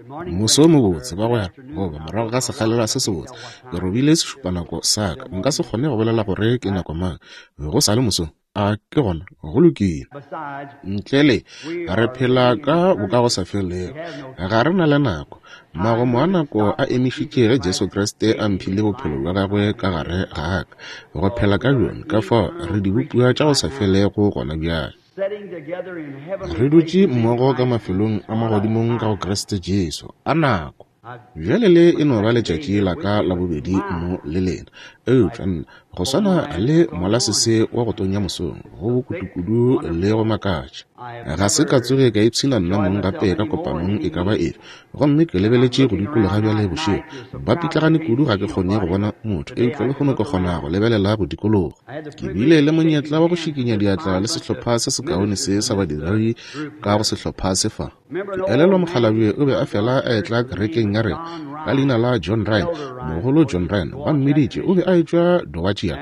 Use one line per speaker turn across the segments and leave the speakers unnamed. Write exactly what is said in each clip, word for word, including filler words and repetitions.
Moso mobotse, bagwera, goba morago ga sekgalela se sebotse. Ke robile sešupanako sa ka. Nka se kgone go bolela gore ke nako mang. Go sa le mosong. A ke gona, go lokile. Ntle le, re phela ka bokagosafelego. Ga re na le nako. Magomo a nako a emišitše ge Jesu Kriste a mphile bophelo bja gagwe ka gare ga ka, go phela ka bjona. Ka fao re dibopiwa tša go sa felego gona bjale. Re dutše mmogo ka mafelong a magodimong ka go Kriste Jesu. A nako! Bjale le e no ba letšatši la ka la bobedi mo le lena. Eupša nna, go swana le molasese wa go tonya mosong, go bokutukudu le go makatša. Ga se ka tsoge ka ipshina nna mong gape ka kopanong e ka ba efe. Gomme ke lebeletše go dikologa bjale bošego. Ba pitlagane kudu ga ke kgone go bona motho, eupša lehono ke kgona go lebelela go dikologa. Ke bile le monyetla wa go šikinya diatla le sehlopha se sekaone se sa badiredi ka go sehlopha se fa. Ke elelwa mokgalabje o be a fela a etla kerekeng ya rena ka leina la John Ryan, mogolo John Ryan, ba mmiditše. O be a etšwa Dowagiac,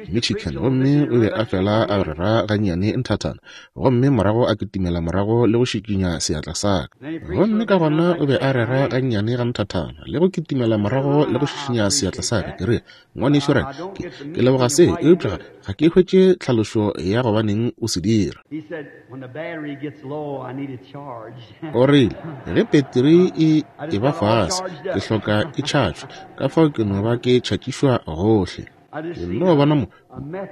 Michigan, gomme o be a fela a rera gannyane nthathana, gomme morago a kitimela morago le go šikinya seatla sa ka. Gomme ka gona o be a rera gannyane ga nthathana le go kitimela morago le go šišinya seatla sa ka. Ke re, ngwanešu Ryan, ke, ke leboga se, eupša ga ke hwetše tlhalošo ya gobaneng o se dira. O rile, ge peteri e e ba fase, ke hloka e tšhatšwe, ka fao ke no ba ke tšhatšišwa gohle. Ke nno bona mo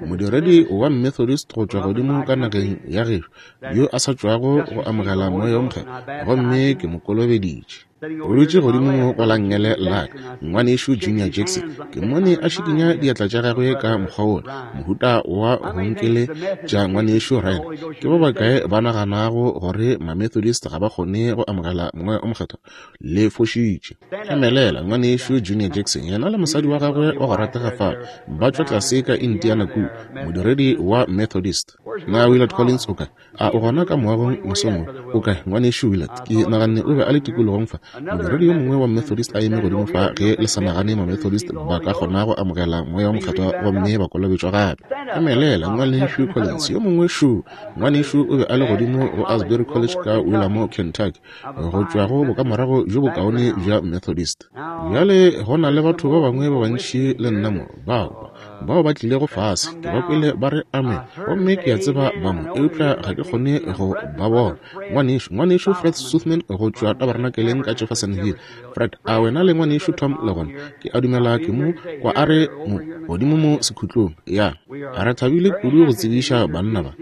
modiredi wa Methodist go tšwa godimo ka nageng ya gešo, yo a sa tšwago go amogela Moya wo Mokgethwa, gomme ke mo kolobeditše. O dutše godimo mo go la nngele la ka, ngwanešu Junior Jackson. Ke mmone a šikinya diatla tša gagwe ka mokgwa wola, mohuta wa go nkele tša ngwanešu Ryan. Ke ba bakae ba naganago gore ma-Methodist ga ba kgone go amogela Moya o Mokgethwa? Le fošitše. Emelela, ngwanešu Junior Jackson, yena le mosadi wa gagwe wa go ratega fa, ba tšwa tlase ka Indiana kua, modiredi wa Methodist. Na Willard Collins o kae? A o gona ka moagong mosong wo? O kae, ngwanešu Willard? Ke naganne o be a le tikologong fa. Modiredi yo mongwe wa Methodist a eme godimo fa, ge le sa nagane ma-Methodist ba ka kgona go amogela Moya wo Mokgethwa gomme ba kolobetšwa gape. Emelela, ngwanešu Collins. Yo mongwe šo, ngwanešu o be a le godimo go Asbury College ka Willamore, Kentucky, go tšwa go bokamorago bjo bokaone bja Methodist. Bjale go na le batho ba bangwe ba bantši le nna mo, bao bao ba tlilego fase, ke ba kwele ba re amen, gomme ke a tseba ba mo, eupša ga ke kgone go ba bona. Ngwanešu, ngwanešu Fred Sothmann go tšwa tabernakeleng ka Jeffersonville. Fred, a wena le ngwanešu Tom le gona? Ke a dumela ke mo kwa a re mo godimo mo sekhutlong. Ya, re thabile kudu go tsebiša banna ba.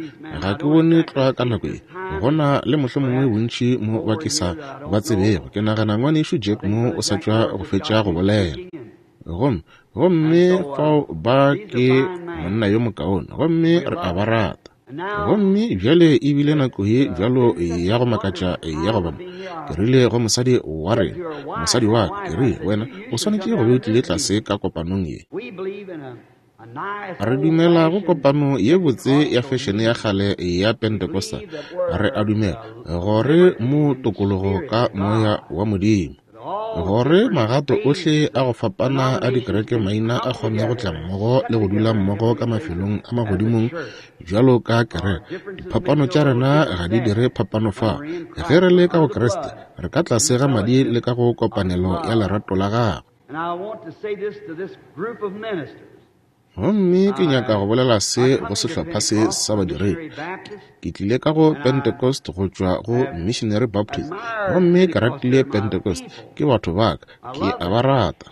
Ga ke bone tlwa ka nako ye. Go na le mohlomongwe bontši mo ba ke sa ba tsebego. Ke nagana ngwanešu Jack mo o sa tšwa go fetša go bolela. Gomme gomme fao ba ke monna yo mokaone, gomme re a ba rata. Gomme bjale e bile nako ye bjalo ya go makatša ya go ba mo. Ke rile go mosadi wa rena, mosadi wa ka, ke rile, wena o swanetše go be o tlile tlase ka kopanong ye. Re dumela go kopano ye botse ya fešene ya kgale ya Pentecostal. Re a dumela gore mo tokologo ka Moya wa Modimo, gore magato ohle a go fapana a dikereke maina a kgone go tla mmogo le go dula mmogo ka mafelong a magodimong bjalo ka kereke. Diphapano tša rena ga di dire phapano fa. Ge re le ka go Kriste, re ka tlase ga madi le ka go kopanelo ya lerato la gagwe. Gomme ke nyaka go bolela se go sehlopha se sa badiredi. Ke tlile ka go Pentecost go tšwa go Missionary Baptist, gomme ke ratile Pentecost. Ke batho ba ka, ke a ba rata.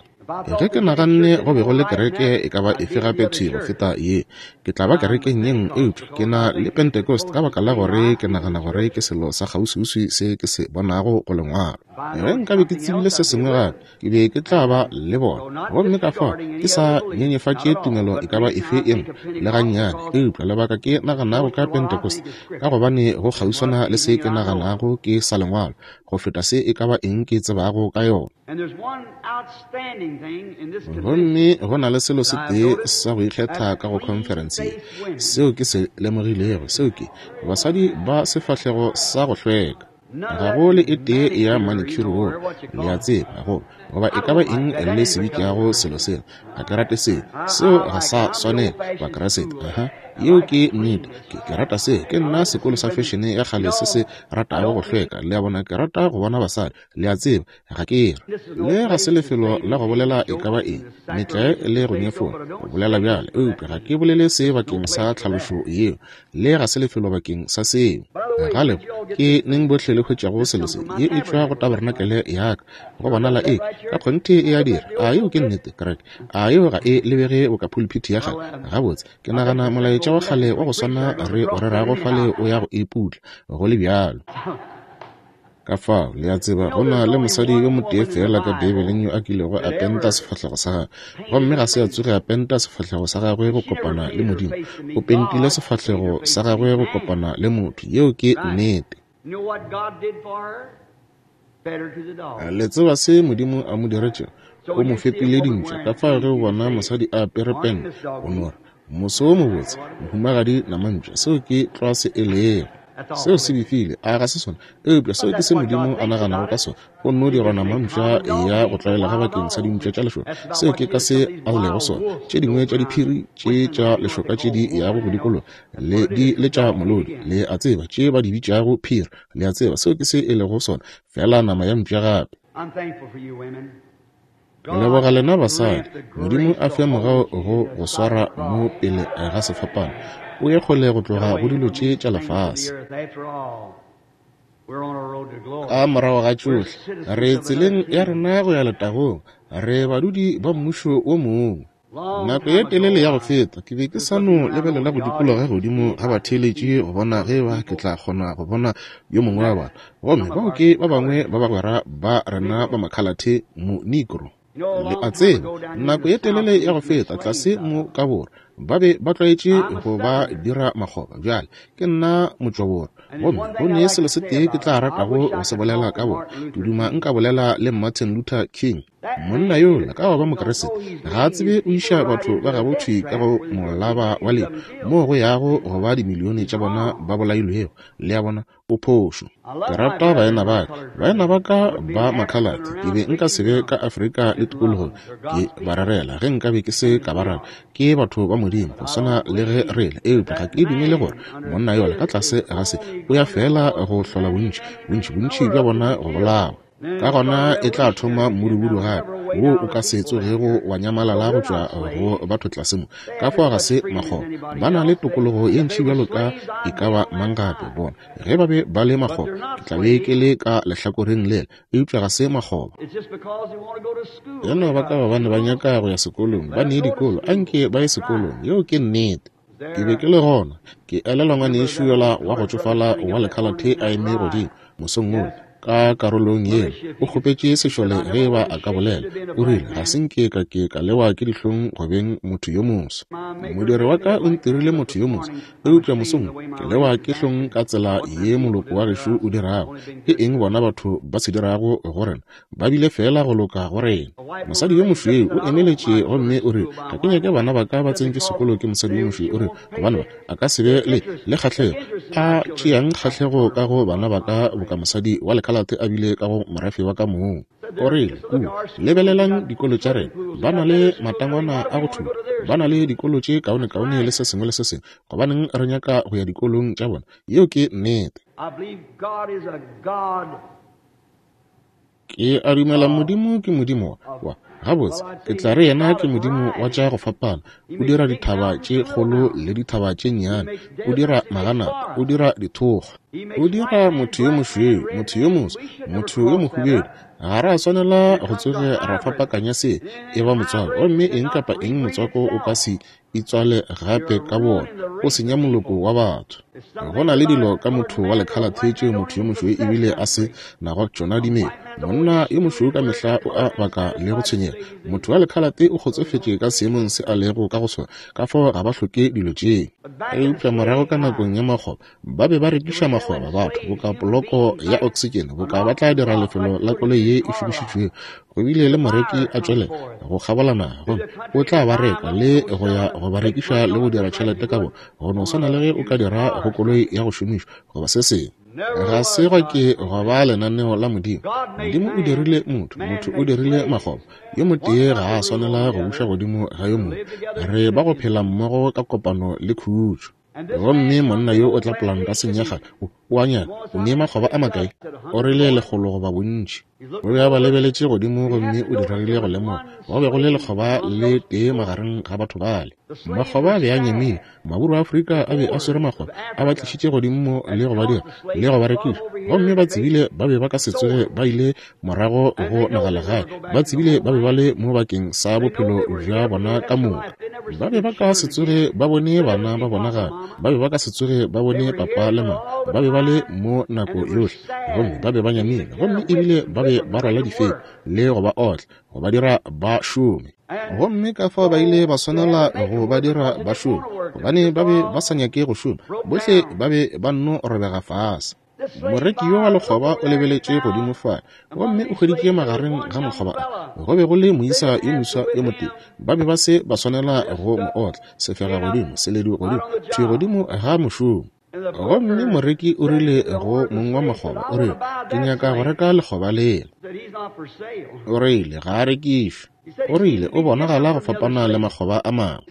Ge ke naganne go be go le kereke e ka ba efe gape thwi go feta ye, ke tla ba kerekeng ye nngwe, eupša ke na le Pentecost ka baka la gore ke nagana gore ke selo sa kgauswiuswi se ke se bonago go lengwalo. Ge nkabe ke tsebile se sengwe gape, ke be ke tla ba le bona. Gomme ka fao ke sa nyenyefatše tumelo e ka ba efe ye nngwe le gannyane, eupša lebaka ke naganago ka Pentecost ka gobane go kgauswana le se ke naganago ke sa lengwalo go feta se e ka ba eng ke tsebago ka yona. Gomme go na le selo se tee sa go ikgetha ka go conference ye, seo ke se lemogilego, seo ke basadi ba sefahlego sa go hlweka. Ga go le e tee ya manicure wo, le a tseba, go goba e ka ba eng le se bitšago selo sela. Ga ke rate seo, seo ga sa swanela Bakriste. Aha. Yeo ke nnete. Ke, ke rata se. Ke nna sekolo sa fešene ya kgale se se ratago go hlweka. Le a bona, ke rata go bona basadi. Le a tseba, ga ke re. Le ga se lefelo la go bolela e ka ba eng, metlae le go nyefola, go bolela bjale, eupša ga ke bolele se bakeng sa tlhalošo yeo. Le ga se lefelo bakeng sa seo. Ga lego, ke neng bohle le hwetšago selo se, ye e tšwa go tabernacle ya ka. Go bonala e, ka kgonthe e a dira. A yeo ke nnete, kereke? A yeo ga e lebege boka pulpiti ya kgale? Gabotse, ke nagana molaetša wa kgale wa go swana re o rerago fale o ya go e putla, go le bjalo. Ka fao, le a tseba, go na le mosadi yo motee feela ka Beibeleng yo a kilego a penta sefahlego sa gagwe, gomme ga se a tsoge a penta sefahlego sa gagwe go kopana le Modimo. O pentile sefahlego sa gagwe go kopana le motho. Yeo ke nnete. Le tseba se Modimo a mo diretšego? O mo fepile dintša. Ka fao ge o bona mosadi a apere pente, o no re, moso wo mobotse, mohumagadi namantša. Seo ke tlwa se e lego. Seo se befile, a ga se sona? Eupša seo ke se Modimo a naganago ka sona. Go nno dirwa namantša ya go tlwaelega bakeng sa dimpša tša lešoka. Seo ke ka se a lego sona. Tše dingwe tša diphiri tše tša lešoka tše di yago go dikologa le di letša molodi, le a tseba, tše ba di bitšago phiri, le a tseba, seo ke se e lego sona, fela nama ya mpša gape. Leboga lena basadi. Modimo a fe mogau go go swara mo pele ga sefapano. O ye kgole go tloga go dilo tše tša lefase. Ka morago ga tšohle, re tseleng ya rena go ya letagong. Re badudi ba mmušo wo mongwe. Nako ye telele ya go feta, ke be ke sa no lebelela go dikologa godimo ga batheeletši go bona ge ba ke tla kgona go bona yo mongwe wa bona. Gomme bao ke ba bangwe ba bagwera ba rena ba makhalathe mo Negro. Le a tseba, nako ye telele ya go feta tlase mo ka borwa, ba be ba tlwaetše go ba dira makgoba. Bjale ke nna motšwaborwa, gomme go ne selo se tee ke tla ratago go se bolela ka bona. Ke duma nka bolela le Martin Luther King. Monna yola ka go ba Mokriste ga a tsebe o iša batho ba gabo thwi ka go molaba wa lehu, moo go yago go ba dimilione tša bona ba bolailwego. Le a bona, o phošo. Ke rata baena ba ka, baena ba ka ba makhalate. Ke be nka se be ka Afrika le tikologong ke ba rerela ge nka be ke se ka ba rata. Ke batho ba Modimo go swana le ge re le, eupša ga ke dumele gore monna yola ka tlase ga se o ya fela go hlola bontši, bontši, bontši bja bona go bolawa. Ka gona e tla thoma mmudubudu gape, wo o ka se tsogego wa nyamalala go tšwa go batho tlase mo. Ka fao ga se makgoba, ba na le tokologo ye ntši bjalo ka e ka ba mang gape. Bona, ge ba be ba le makgoba, ke tla be ke le ka lehlakoreng lela, eupša ga se makgoba. Ya no ba ka gobane ba nyaka go ya sekolong, ba nee dikolo, anke ba ye sekolong. Yeo ke nnete. Ke be ke le gona, ke elelwa ngwanešu yola wa go tšofala wa lekhalathe a eme godimo mosong wola ka karolong yeo, o kgopetše sešole ge ba a ka bolela. O rile, ga se nke ka ke ka lewa ke dihlong go beng motho yo moso. Modiri wa ka o ntirile motho yo moso, eupša mosong ke lewa ke hlong ka tsela ye moloko wa gešo o dirago. Ke eng bona batho ba se dirago go rena? Ba bile fela go loka go rena. Mosadi yo mošweu o emeletše gomme o rile, ga ke nyake bana ba ka ba tsentšwe sekolo ke mosadi yo mošweu. O rile, gobane ba a ka se be le le kgahlego. A tšeang kgahlego ka go bana ba ka boka mosadi wa lekhalate a bile ka go morafe wa ka mong. O rile, kua, lebelelang dikolo tša rena, ba na le matangwana a go thuta, ba na le dikolo tše kaonekaone le se sengwe le se sengwe. Gobaneng re nyaka go ya dikolong tša bona? Yeo ke nnete. Ke a dumela Modimo ke Modimo wa gabotse. Ke tla re yena ke Modimo wa tša go fapana. O dira dithaba tše kgolo le dithaba tše nnyane, o dira maganata, o dira dithokgwa, o dira motho yo mošweu, motho yo moso, motho yo mohubedu. Ga ra swanela go tsoge ra fapakanya se e ba motswako, gomme eng kapa eng motswako o ka se itswale gape ka bona, o senya moloko wa batho. Go na le dilo ka motho wa lekhalathe tšeo motho yo mošweu ebile a se nago tšona dimelo. Monna yo mošweu ka mehla o a baka le go tshwenyega. Motho wa lekhalate o kgotsofetše ka seemong se a lego ka go sona, ka fao ga ba hloke dilo tšeo. Eupša morago ka nakong ya makgoba, ba be ba rekiša makgoba batho boka poloko ya oksitšene, boka ba tla dira lefelo la koloi ye e šomišitšwego. Go bile le moreki a tšwelela go kgabola naga, gomme o tla ba reka le go ya go ba rekiša le go dira tšhelete ka bona, go no swana le ge o ka dira go koloi ya go šomišwa goba se sengwe. Ga se gwa ke gwa ba lenaneo la Modimo. Modimo o dirile motho, motho o dirile makgoba. Yo motee ga a swanela go buša godimo ga yo mongwe. Re ba go phela mmogo ka kopano le khutšo. Gomme monna yo o tla polantaseng ya gagwe, o, o a nyaka, o nee makgoba a makae? O rile lekgolo goba bontši. O be a ba lebeletše godimo gomme o diregile go lemoga go be go le lekgoba le tee magareng ga batho bale. Makgoba a be a nyamile. Maburu a Afrika a be a swere makgoba, a ba tlišitše godimo mo le go ba dira le go ba rekiša. Gomme ba tsebile ba be ba ka se tsoge ba ile morago go nagalegae. Ba tsebile ba be ba le mo bakeng sa bophelo bja bona ka moka. Ba be ba ka se tsoge ba bone bana ba bona gape. Ba be ba ka se tsoge ba bone papa le mama. Ba be ba le mo nako yohle. Gomme ba be ba nyamile. Gomme ebile ba be ba rwala difepi le go ba otla, go ba dira ba šome. Gomme ka fao ba ile ba swanela go ba dira ba šome, gobane ba be ba sa nyake go šoma. Bohle ba be ba nno robega fase. Moreki yo wa lekgoba o lebeletše godimo fa, gomme o hweditše magareng ga makgoba a go be go le moisa yo moswa yo motee. Ba be ba se ba swanela go mo otla, sefega godimo, seledu godimo, thwi godimo ga mošomo. Gomme moreki o rile go mong wa makgoba, o rile, ke nyaka go reka lekgoba lela. O rile, ga a rekišwe. O rile, o bonagala go fapana le makgoba a mangwe.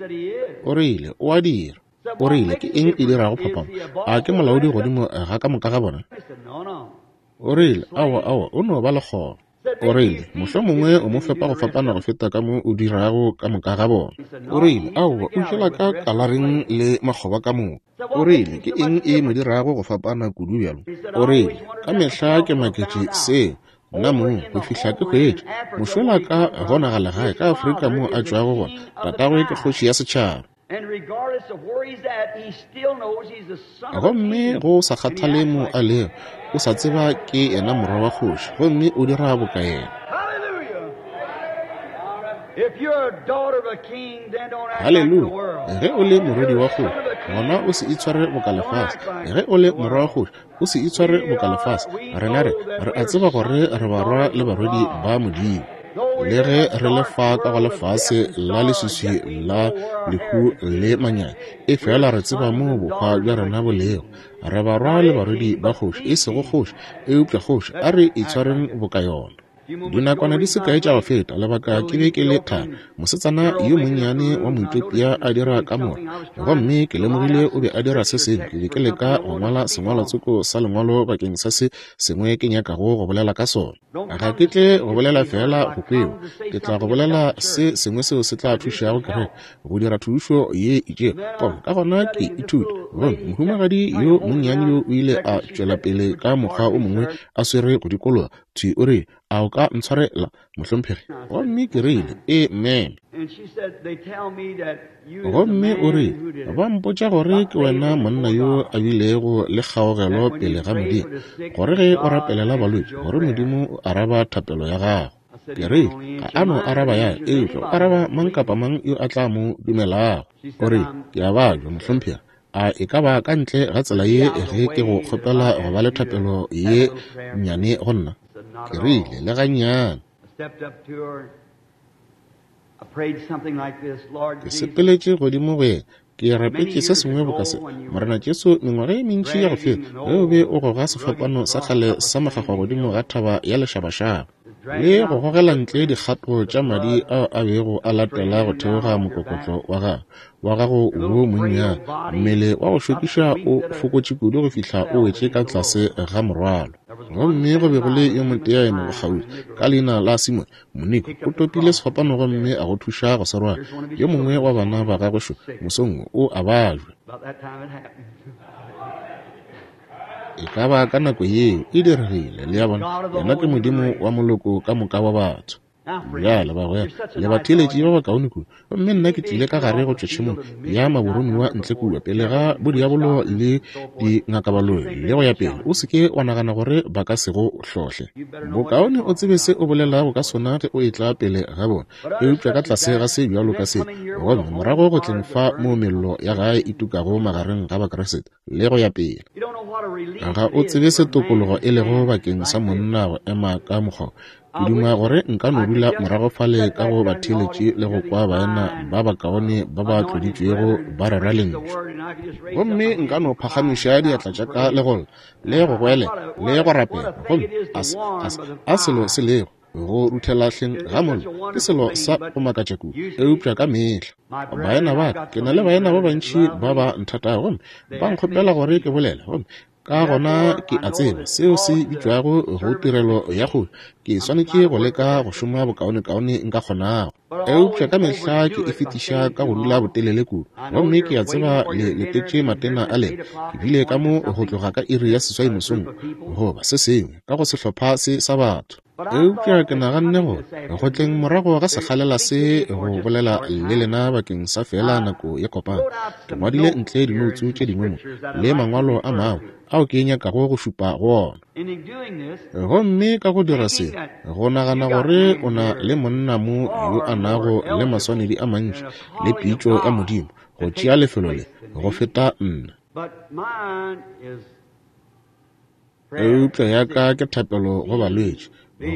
O rile, o a dira. O rile, ke eng e dirago phapano? A ke molaodi godimo ga ka moka ga bona? O rile, aowa, aowa, o no ba lekgoba. O rile, mohlomongwe o mo fepa go fapana go feta ka mo o dirago ka moka ga bona. O rile, aowa, o jela ka kalareng le makgoba ka moka. O rile, ke eng e mo dirago go fapana kudu bjalo? O rile, ka mehla ke maketše seo nna mong go fihla ke hwetše mošola ka gona ga legae ka Afrika mo a tšwago gona. Tatagwe ke kgoši ya setšhaba. Gomme go sa kgathale mo a lego, o sa tseba ke yena morwa wa kgoši, gomme o dira boka yena. Haleluya! Ge o le morwedi wa kgoši, gona o se itshware boka lefase. Ge o le morwa wa kgoši, o se itshware boka lefase. Rena re re a tseba gore re barwa le barwedi ba Modimo. Le ge re le fa ka go lefase la leswiswi la lehu le manyami, e fela re tseba mo bohwa bja rena bo lego. Re barwa le barwedi ba kgoši, e sego kgoši, eupša kgoši. A re itshwareng boka yona. Dinakwana di se kae tša go feta, lebaka ke be ke le thari, mosetsana yo monnyane wa Moethiopia a dira kamora, gomme ke lemogile o be a dira se sengwe. Ke be ke leka go ngwala sengwalwatsoko sa lengwalo bakeng sa se sengwe ke nyakago go bolela ka sona. Ga ke tle go bolela fela go kwewa, ke tla go bolela se sengwe seo se tla thušago kereke go dira thušo ye itšego. Gomme ka gona ke ithuta. Gomme mohumagadi yo monnyane yo o ile a tšwela pele ka mokgwa o mongwe a swere go dikologa thwi. O rile, a o ka ntshwarela, mohlomphegi? Gomme ke rile, ee, ma'am. Gomme o rile, ba mpotša gore ke wena monna yo a bilego le kgaogelo pele ga Modimo, gore ge o rapelela balwetši, gore Modimo o araba thapelo ya gago. Ke rile, ga a no araba ya, eupša o araba mang kapa mang yo a tla mo dumelago. O rile, ke a babja, mohlomphegi. A e ka ba ka ntle ga tsela ye ge ke go kgopela go ba le thapelo ye nnyane go nna? Ke rile, le gannyane. Ke sepeletše godimo go yena, ke rapetše se sengwe boka se. Morena Jesu, mengwaga e mentši ya go feta, ge o be o goga sefapano sa kgale sa makgakgwa godimo ga thaba ya lešabašaba, le go gogela ntle dikgato tša madi ao a bego a latela go theoga mokokotlo wa gago wa gago wo monnyane, mmele wa go šokiša o fokotše kudu go fihla o wetše ka tlase ga morwalo. Gomme go be go le yo motee a emego kgauswi, ka leina la Simone Moniko, o topile sefapano gomme a go thuša go se rwala. Yo mongwe wa bana ba gagwe šo mosong o a bajwa. E ka ba ka nako yeo e diregile. Le a bona, yena ke Modimo wa moloko ka moka wa batho. Bjale bagwera, le batheeletši ba bakaone kudu. Gomme nna ke tlile ka gare go tšwa tšhemong ya maboromiwa ntle kua pele ga bodiabolo le dingakabaloi le go ya pele. O se ke wa nagana gore ba ka se go hlohle. Bokaone o tsebe se o bolelago ka sona ge o etla pele ga bona, eupša ka tlase ga se bjalo ka se. Gomme morago go tleng fa mo mello ya gae e tukago magareng ga Bakriste le go ya pele. Ga o tsebe se tokologo e lego bakeng sa monna go ema ka mokgwa. Ke duma gore nka no dula morago fale ka go batheeletši le go kwa baena ba bakaone ba ba tloditšwego ba rera lentšu. Gomme nka no phagamiša diatla tša ka le go lla, le go goelela, le go rapela. Gomme a, a, a selo se lego go ruthela hleng ga mollo ke selo sa go makatša kudu, eupša ka mehla. Baena ba ka, ke na le baena ba bantši ba ba nthatago gomme ba nkgopela gore ke bolele, gomme ka gona ke a tseba seo se bitšwago go tirelo ya kgolo. Ke swanetše go leka go šoma bokaonekaone nka kgonago, eupša ka mehla ke e fetiša ka go dula botelele kudu. Gomme ke a tseba le letetše matena a lena. Ke bile ka mo go tloga ka iri ya seswai mosong goba se sengwe ka go sehlopha se sa batho. Eupša ke naganne gore go tleng morago ga sekgalela se go bolela le lena bakeng sa fela nako ye kopana, ke ngwadile ntle dinoutsu tše dingwe mo le mangwalo a mangwe ao ke nyakago go šupa go ona. Gomme ka go dira se, go nagana gore o na le monna mo yo a nago le maswanedi a mantši le pitšo ya Modimo go tšea lefelo le go feta nna. Eupša ya ka ke thapelo go balwetši,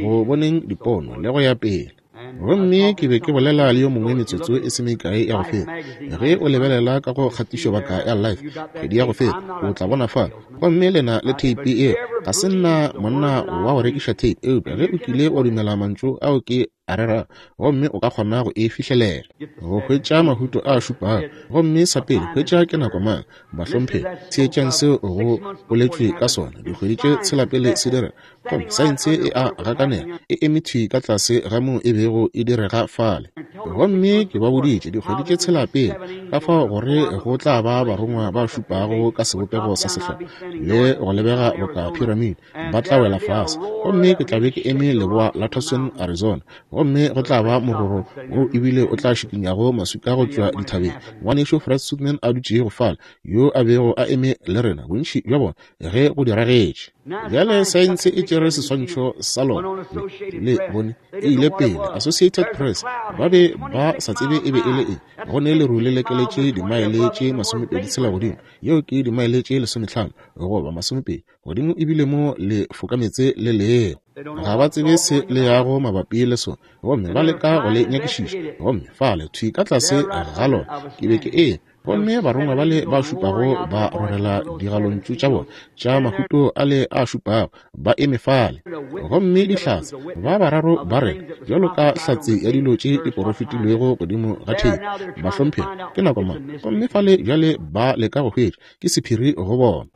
go boneng dipono le go ya pele. Gomme ke be ke bolela le yo mongwe metsotso e se mekae ya go feta. Ge o lebelela ka go kgatišobaka ya Life kgwedi ya go feta, o tla bona fa. Gomme lena le theipi e, ga se nna monna wa go rekiša theipi, eupša ge o kile wa dumela mantšu ao ke a rera, gomme o ka kgona go e fihlelela, go hwetša mahuto a šupago. Gomme sa pele, hwetša ke nako mang, bahlomphegi, theetšang seo go boletšwe ka sona dikgwedi tše tshela pele se direga. Gomme saense e a gakanega, e eme thwi ka tlase ga moo e bego e direga fale. Gomme ke ba boditše dikgwedi tše tshela pele ka fao gore go tla ba barongwa ba šupago ka sebopego sa sehlopha le go lebega boka piramide, ba tla wela fase. Gomme ke tla be ke eme leboa la Tucson, Arizona, gomme go tla ba mororo wo ebile o tla šikinyago maswika go tšwa dithabeng. Ngwanešu Fred Sothmann a dutšego fale, yo a bego a eme le rena bontši bja bona ge go diragetše. Bjale saense e tšere seswantšho sa lona le bone e ile pele. Associated Press ba be ba sa tsebe e be e le eng. Go ne leru le lekeletše dimaele tše masomepedi tshela godimo, yeo ke dimaele tše lesomehlano goba masomepedi godimo, ebile mo le fokametse le lego. Ga ba tsebe se le yago mabapi le sona, gomme ba leka go le nyakišiša. Gomme fale thwi ka tlase ga lona ke be ke eme, gomme barongwa bale ba šupago ba rorela digalontšu tša bona tša mahuto ale a šupago, ba eme fale. Gomme dihlatse ba bararo ba rena bjalo ka hlatse ya dilo tše di porofetilwego godimo ga theipi, bahlomphegi, ke nako mang. Gomme fale bjale ba leka go hwetša, ke sephiri go bona.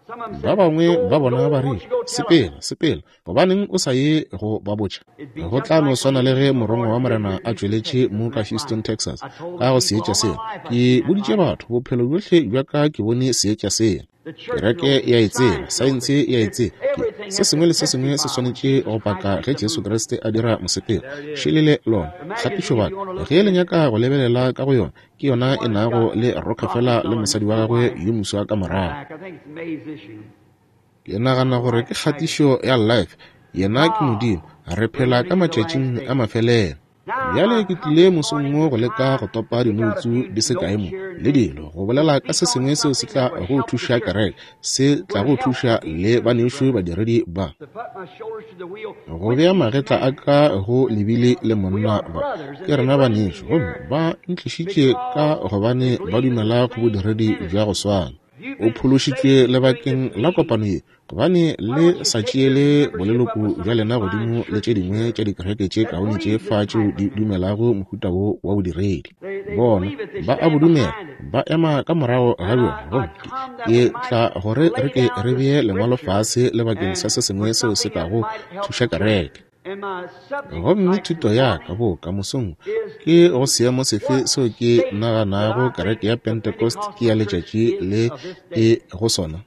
Ba bangwe ba bona ba rile, sepela, sepela, gobaneng o sa ye go ba botša? Go tla no swana le ge morongwa wa Morena a tšweletše mo ka Houston, Texas, ka go seetša sela. Ke boditše batho bophelo bjohle bja ka ke bone seetša sela. Kereke ya e tseba, saense ya e tseba, ke se sengwe le se sengwe se swanetše go paka ge Jesu Kriste a dira mosepelo. Šelele lona kgatišobaka, ge le nyaka go lebelela ka go yona, ke yona e nago le Rockefeller le mosadi wa gagwe yo moswa ka morago. Ke nagana gore ke kgatišo ya Life. Yena ke Modimo, re phela ka matšatšing a mafelelo. Bjale ke tlile mosong mo go leka go topa dinoutsu di se kae mo le dilo, go bolela ka se sengwe seo se tla go thuša kereke, se tla go thuša le banešu badiredi ba. Go bea magetla a ka go lebile le monna ba, ke rena banešu, gomme ba ntlišitše ka gobane ba dumela go bodiredi bja go swana. O phološitšwe lebakeng la kopano ye, gobane le sa tšeele boleloko bja lena godimo le tše dingwe tša dikereke tše kaone tše fa tšeo di dumelago mohuta wo wa bodiredi. Bona ba a bo dumela, ba ema ka morago ga bjona. Gomme ke tla gore re ke re bee lengwalo fase lebakeng sa se sengwe seo se kago thuša kereke. Gomme thuto ya ka boka mosong ke go seemo sefe seo ke naganago kereke ya Pentecost ke ya letšatši le e go sona.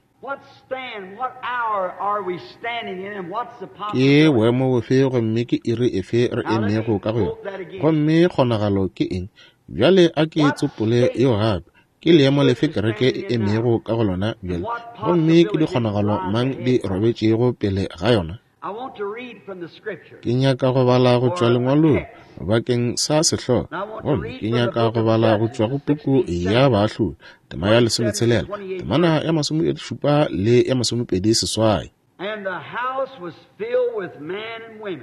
Ke boemo bofe gomme ke iri efe re emego ka go yona, gomme kgonagalo ke eng? Bjale a ke tsopole yeo gape. Ke leemo lefe kereke e emego ka go lona bjale, gomme ke dikgonagalo mang di robetšego pele ga yona? Ke nyaka go bala go tšwa lengwalong bakeng sa sehlogo, gomme ke nyaka go bala go tšwa go puku ya Baahlodi, tema ya lesometshelela, temana ya masomešupa le ya masomepedi seswai.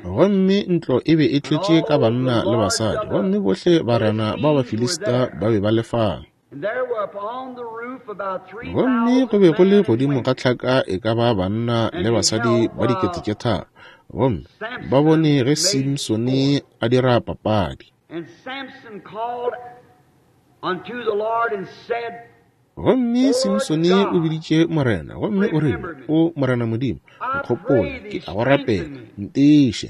Gomme ntlo e be e tletše ka banna le basadi, gomme bohle barena ba Bafilista ba be ba le fale. Gomme go be go le godimo ga tlhaka e ka ba banna le basadi ba dikete tše tharo, gomme ba bone ge Simsone a dira papadi. Gomme Simsone o biditše Morena, gomme o rile, O Morena Modimo, nkgopole, ke a go rapela, ntiiše.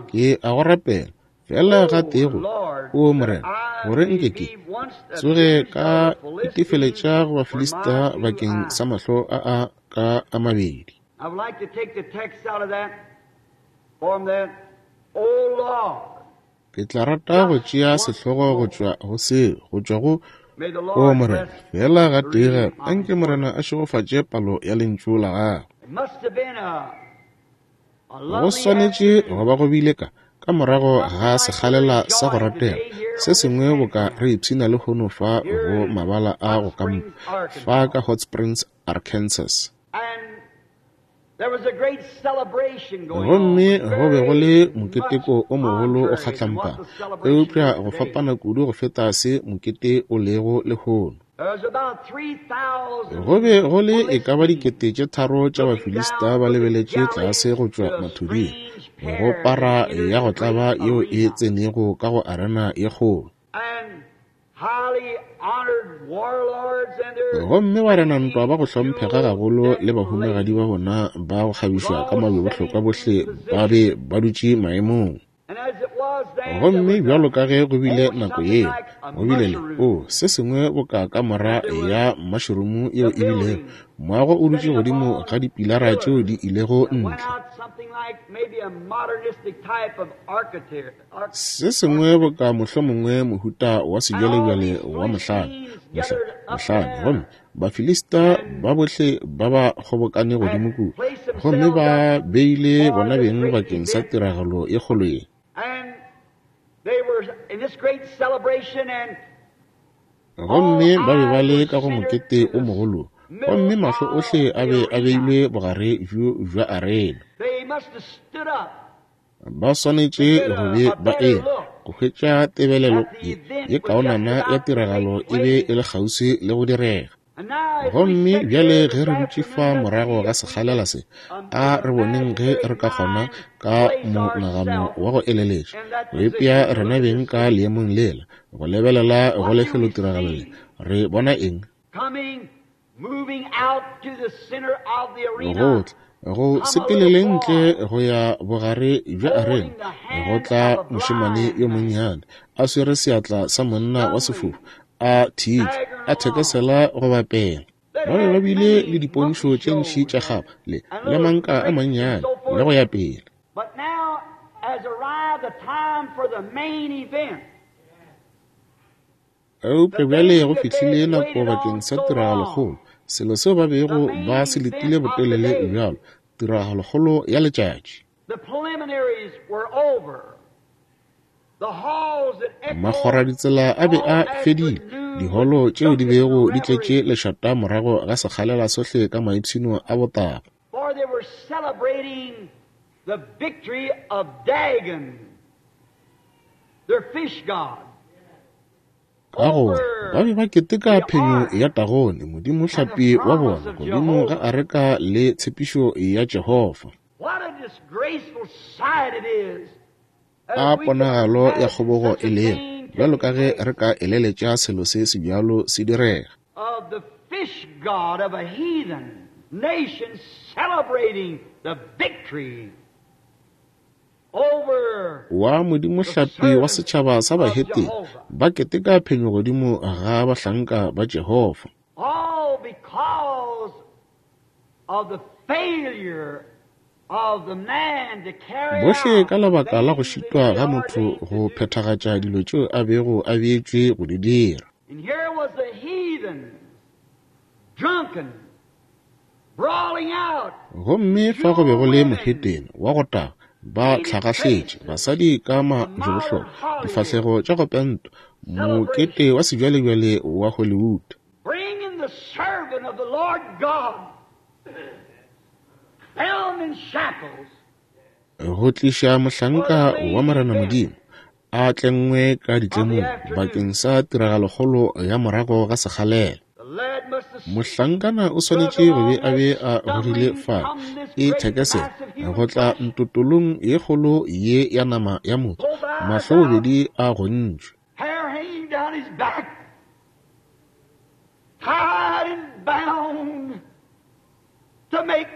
Ke a go rapela, fela gatee go, O Morena, gore nke ke tsoge ka itefeletša go Bafilista bakeng sa mahlo a a ka a mabedi. Ke tla rata go tšea sehlogo go tšwa go seo, go tšwa go O Morena, fela gatee gape, anke Morena a šegofatše palo ya lentšu la gagwe. Go swanetše go ba go bile ka ka morago ga sekgalela sa go ratega se sengwe boka re ipshina lehono fa go mabala a go kampa fa ka Hot Springs, Arkansas. Gomme go be go le moketeko o mogolo o kgatlampana, eupša go fapana kudu go feta se mokete o lego lehono. Go be go le e ka ba dikete tše tharo tša Bafilista ba lebeletše tlase go tšwa mathuding go para ya go tlaba yeo e tsenego ka go arena ye kgolo. Gomme barena ntwa ba go hlomphega gagolo le bahumagadi ba bona ba go kgabišwa ka mabjebohlokwa bohle ba be ba dutše maemong. Gomme bjalo ka ge go bile nako yeo, go bile le o se sengwe boka kamora ya mašromo yeo e bilego moago o dutše godimo ga dipilara tšeo di ilego ntle. Se sengwe boka mohlomongwe mohuta wa sejwalejwale wa mohlane, mohlane. Gomme Bafilista ba bohle ba ba kgobokane godimo kua, gomme ba beile bona beng bakeng sa tiragalo ye kgolo ye. Gomme ba be ba le ka go mokete o mogolo, gomme mahlo ohle a be a beilwe bogare bjo bja arena. Ba swanetše go be ba eme go hwetša tebelelo ye ye kaonana ya tiragalo e be e le kgauswi le go direga. Gomme bjale ge re dutše fa morago ga sekgalela se, a re boneng ge re ka kgona ka monagano wa go eleletša go ipea rena beng ka leemong lela, go lebelela go lefelotiragalo le, re bona eng? Go tla go sepelele ntle go ya bogare bja arena, go tla mošemane yo monnyane a swere seatla sa monna wa sefofu, a thietšwe, a thekesela go bapela. Ba be ba bile le dipontšho tše ntši tša kgapa le le manka a mannyane le go ya pele. Eupša bjale go fihlile nako bakeng sa tiragalokgolo, selo seo ba bego ba se letile botelele bjalo, tiragalokgolo ya letšatši. Makgoraditsela a be a fedile, diholo tšeo di bego di tletše lešata morago ga sekgalela sohle ka maipshino a botaba. Ka gore ba be ba keteka phenyo ya Dagone, modimohlapi wa bona, godimo ga areka le tshepišo ya Jehofa. A ponagalo ya kgobogo e lego, bjalo ka ge re ka eleletša selo se sebjalo se direga. Wa modimohlapi wa setšhaba sa Bahetene ba keteka phenyo godimo ga bahlanka ba Jehofa. Bohle ka lebaka la go šitwa ga motho go phethagatša dilo tšeo a bego a beetšwe go di dira. Gomme fa go be go le mohetene wa go taga, ba tlhagahletše, basadi ka majebohlokwa, difahlego tša go pentwa, mokete wa sejwalejwale wa Hollywood.
the servant of the Lord God bound in shackles.
Go tliša mohlanka wa Morena Modimo a tlengwe ka ditlemong bakeng sa tiragalokgolo ya morago ga sekgalela. Mohlankana o swanetše go be a be a gogile fale e thekesela go tla ntotolong ye kgolo ye ya nama ya motho, mahlo bobedi a gontšwe.
Hair hanging down his back, tied and bound to make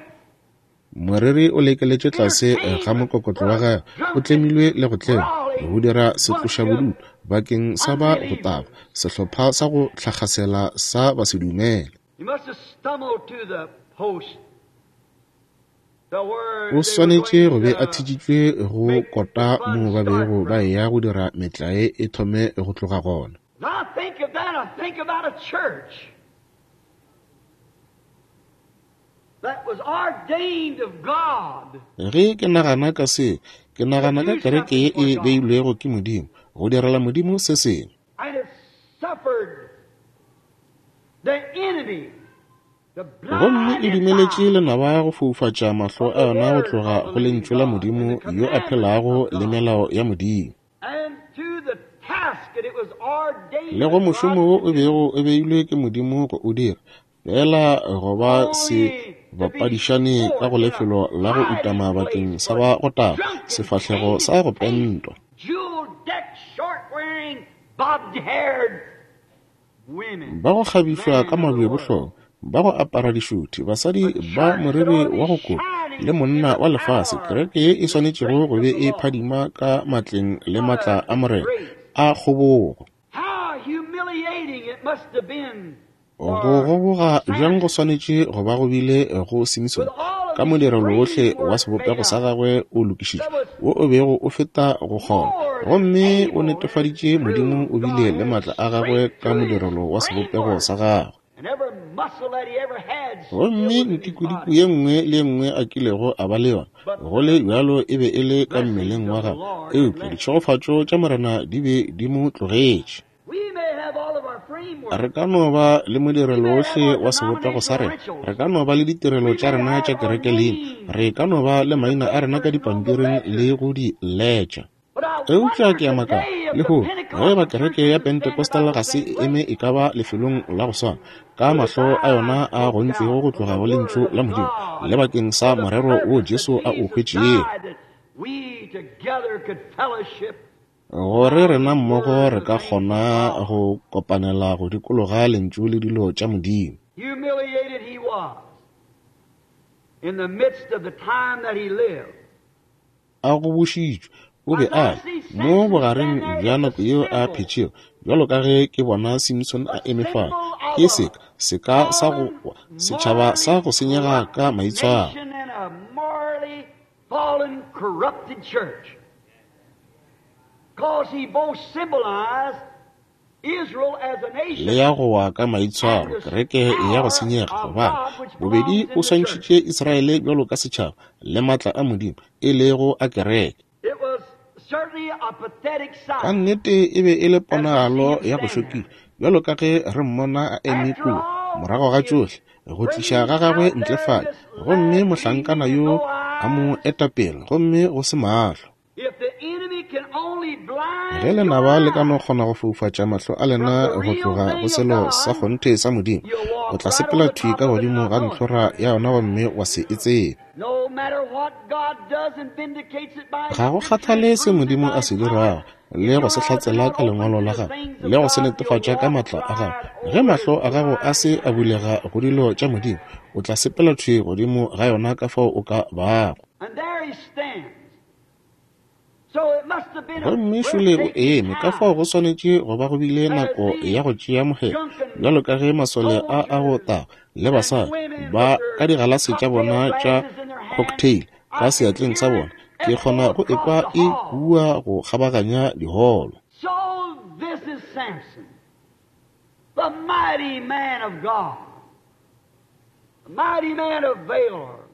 Moriri o lekeletše tlase ga mokokotlo wa gagwe, o tlemilwe le go tlengwa go dira setlošabodutu bakeng sa ba go tagwa, sehlopha sa go tlhakgasela sa basedumele.
He must have stumbled to the post. The word
O swanetše go be a thitšitšwe go kota moo ba bego ba eya go dira metlae e thome go tloga gona.
Now I think of that, I think about a church that was ordained of God.
Ge ke nagana ka se, ke nagana ka kereke ye e beilwego ke Modimo, go direla Modimo se sengwe.
And it suffered the enemy to
Gomme
blind
e
its
dumeletše
eyes
lenaba go foufatša mahlo a yona go tloga go lentšu la Modimo yo a phelago le melao ya Modimo.
and to the task that it was ordained
Le go
of
mošomo
God
wo
to
o
do.
bego o beilwe ke Modimo go o dira, fela go ba se bapadišane ka go lefelo la go utama bakeng sa ba go tagwa, sefahlego sa go pentwa.
Jewel-decked, short-wearing, bobbed-haired women.
Ba go kgabišwa ka mabjebohlogo, ba go apara dišuthi, basadi ba moriri wa go kopa le monna wa lefase, kereke ye e swanetšego go be e phadima ka matleng le matla a Morena a kgobogo.
How humiliating it must have been
Go
for
goboga bjang go
Samson
swanetše go ba go bile go Simson
with all of
ka
these
modirelo wohle wa
framework
sebopego
made
sa
up
gagwe o lokišitšwe,
that was
wo o bego o feta go kgona,
more than
gomme o
able and
netefaditše Modimo
proved
o bile
God
le
had
matla a gagwe
strength
ka
through his
modirelo wa sebopego
framework.
sa gagwe.
And every muscle that he ever had still
Gomme
was in his
ntikudiku
body.
ye nngwe le ye nngwe a kilego a ba le yona,
But
go le bjalo e be e le ka
blessings
mmeleng wa
of the
gagwe,
Lord had
eupša
left him.
ditšhegofatšo tša Morena di be di mo tlogetše.
We may have all of our
Re
framework.
ka no ba le
We
modirelo
may have
wohle
our
wa sebopego sa
denominational
rena,
rituals.
re ka no ba le ditirelo
We
tša
may
rena
have
tša
our
kereke leina,
names
re ka no ba le
in the
maina a rena ka
papers and on the
dipampiring le
ledgers.
go di letša.
But I
Eupša
wonder
ke a makala
today if the
lehono ge ba
Pentecostal
kereke
churches
ya
would stand
Pentecostal
about
ga
the
se
same
e
way.
eme e ka ba lefelong la go swana, ka
With its
mahlo a yona
eyes
a
poked
gontšwego
out
go
from
tloga
the
go lentšu
Word
la
of
Modimo
God
le bakeng sa
for the
morero wo
purpose that
Jesu a o
Jesus
hwetšego.
died, that we together could fellowship
Gore
round
rena
the
mmogo
Word
re
and
ka
the things of
kgona
God.
go kopanela go dikologa lentšu le dilo tša Modimo.
Humiliated he was in the midst of the time that he lived.
A gobošitšwe o be
As
a
I
le
see
mo
Samson
bogareng
stand there,
bja
it's a
nako yeo a
symbol,
phetšego, bjalo ka ge ke bona Simson
a
a eme fale,
symbol of
ke
a
seka seka sa go
fallen,
wa, setšhaba sa
morally
go senyega ka
corrupted
maitshwaro.
nation and a morally fallen, corrupted church. Because he both symbolized Israel as a
Le
nation
ya go wa ka
and
maitshwaro,
the
kereke ya go
power
senyega,
of
gobane
God which
bobedi
belongs
o
in the church.
swantšhitše Israele bjalo ka setšhaba le matla a Modimo e lego a kereke.
It was certainly a pathetic
Ka
sight
nnete e be e le
as we see
ponagalo
him
ya go
stand there.
šokiša, bjalo ka ge re mmona a eme
After
kua
all,
morago ga
is
tšohle go tliša
bringing
ga gagwe
out
ntle
there
fale,
this
gomme
lad leading
mohlankana
and
yo
no
a mo
eyes.
etapele gomme go se mahlo.
If the enemy can only
Ge
blind your
lenaba le ka no
eyes
kgona go foufatša mahlo a
from
lena
the
go
real
tloga go
thing of
selo sa
God,
kgonthe sa Modimo,
you'll
o
walk
tla
right
sepela
over the
thwi
top
ka
of it and
godimo
not
ga
know it.
ntlhora ya yona gomme wa se e tsebe.
No matter what God does and vindicates it by His
Ga go
Scripture and
kgathale se
proves it
Modimo
by
a
His
se
power,
dirago
if
le go
your
se
eyes are
hlatsela
not
ka
open
lengwalo
to
la
the
gagwe
things of
le go se
God, you'll
netefatša ka
walk
matla a gagwe,
right
ge
over
mahlo
it
a gago a
blind.
se a bulega go dilo tša Modimo, o tla sepela thwi godimo ga yona ka fao o ka bago.
And there he stands. So it must have been a
Gomme šole o
breathtaking
eme, ka fao
time
go swanetše go ba go bile
as
nako ya
these
go tšea mohemo,
drunken
bjalo ka ge masole a a go
soldiers
tagwa le
and
basadi
women
ba
with
ka
their
digalase tša
cocktail
bona tša
glasses in their hands,
cocktail ka
I could
seatleng sa
hear
bona,
it
ke
echo
kgona go
across
ekwa
the
e
hall.
kua go kgabaganya diholo.
So this is Samson, the mighty man of God, the mighty man of valor,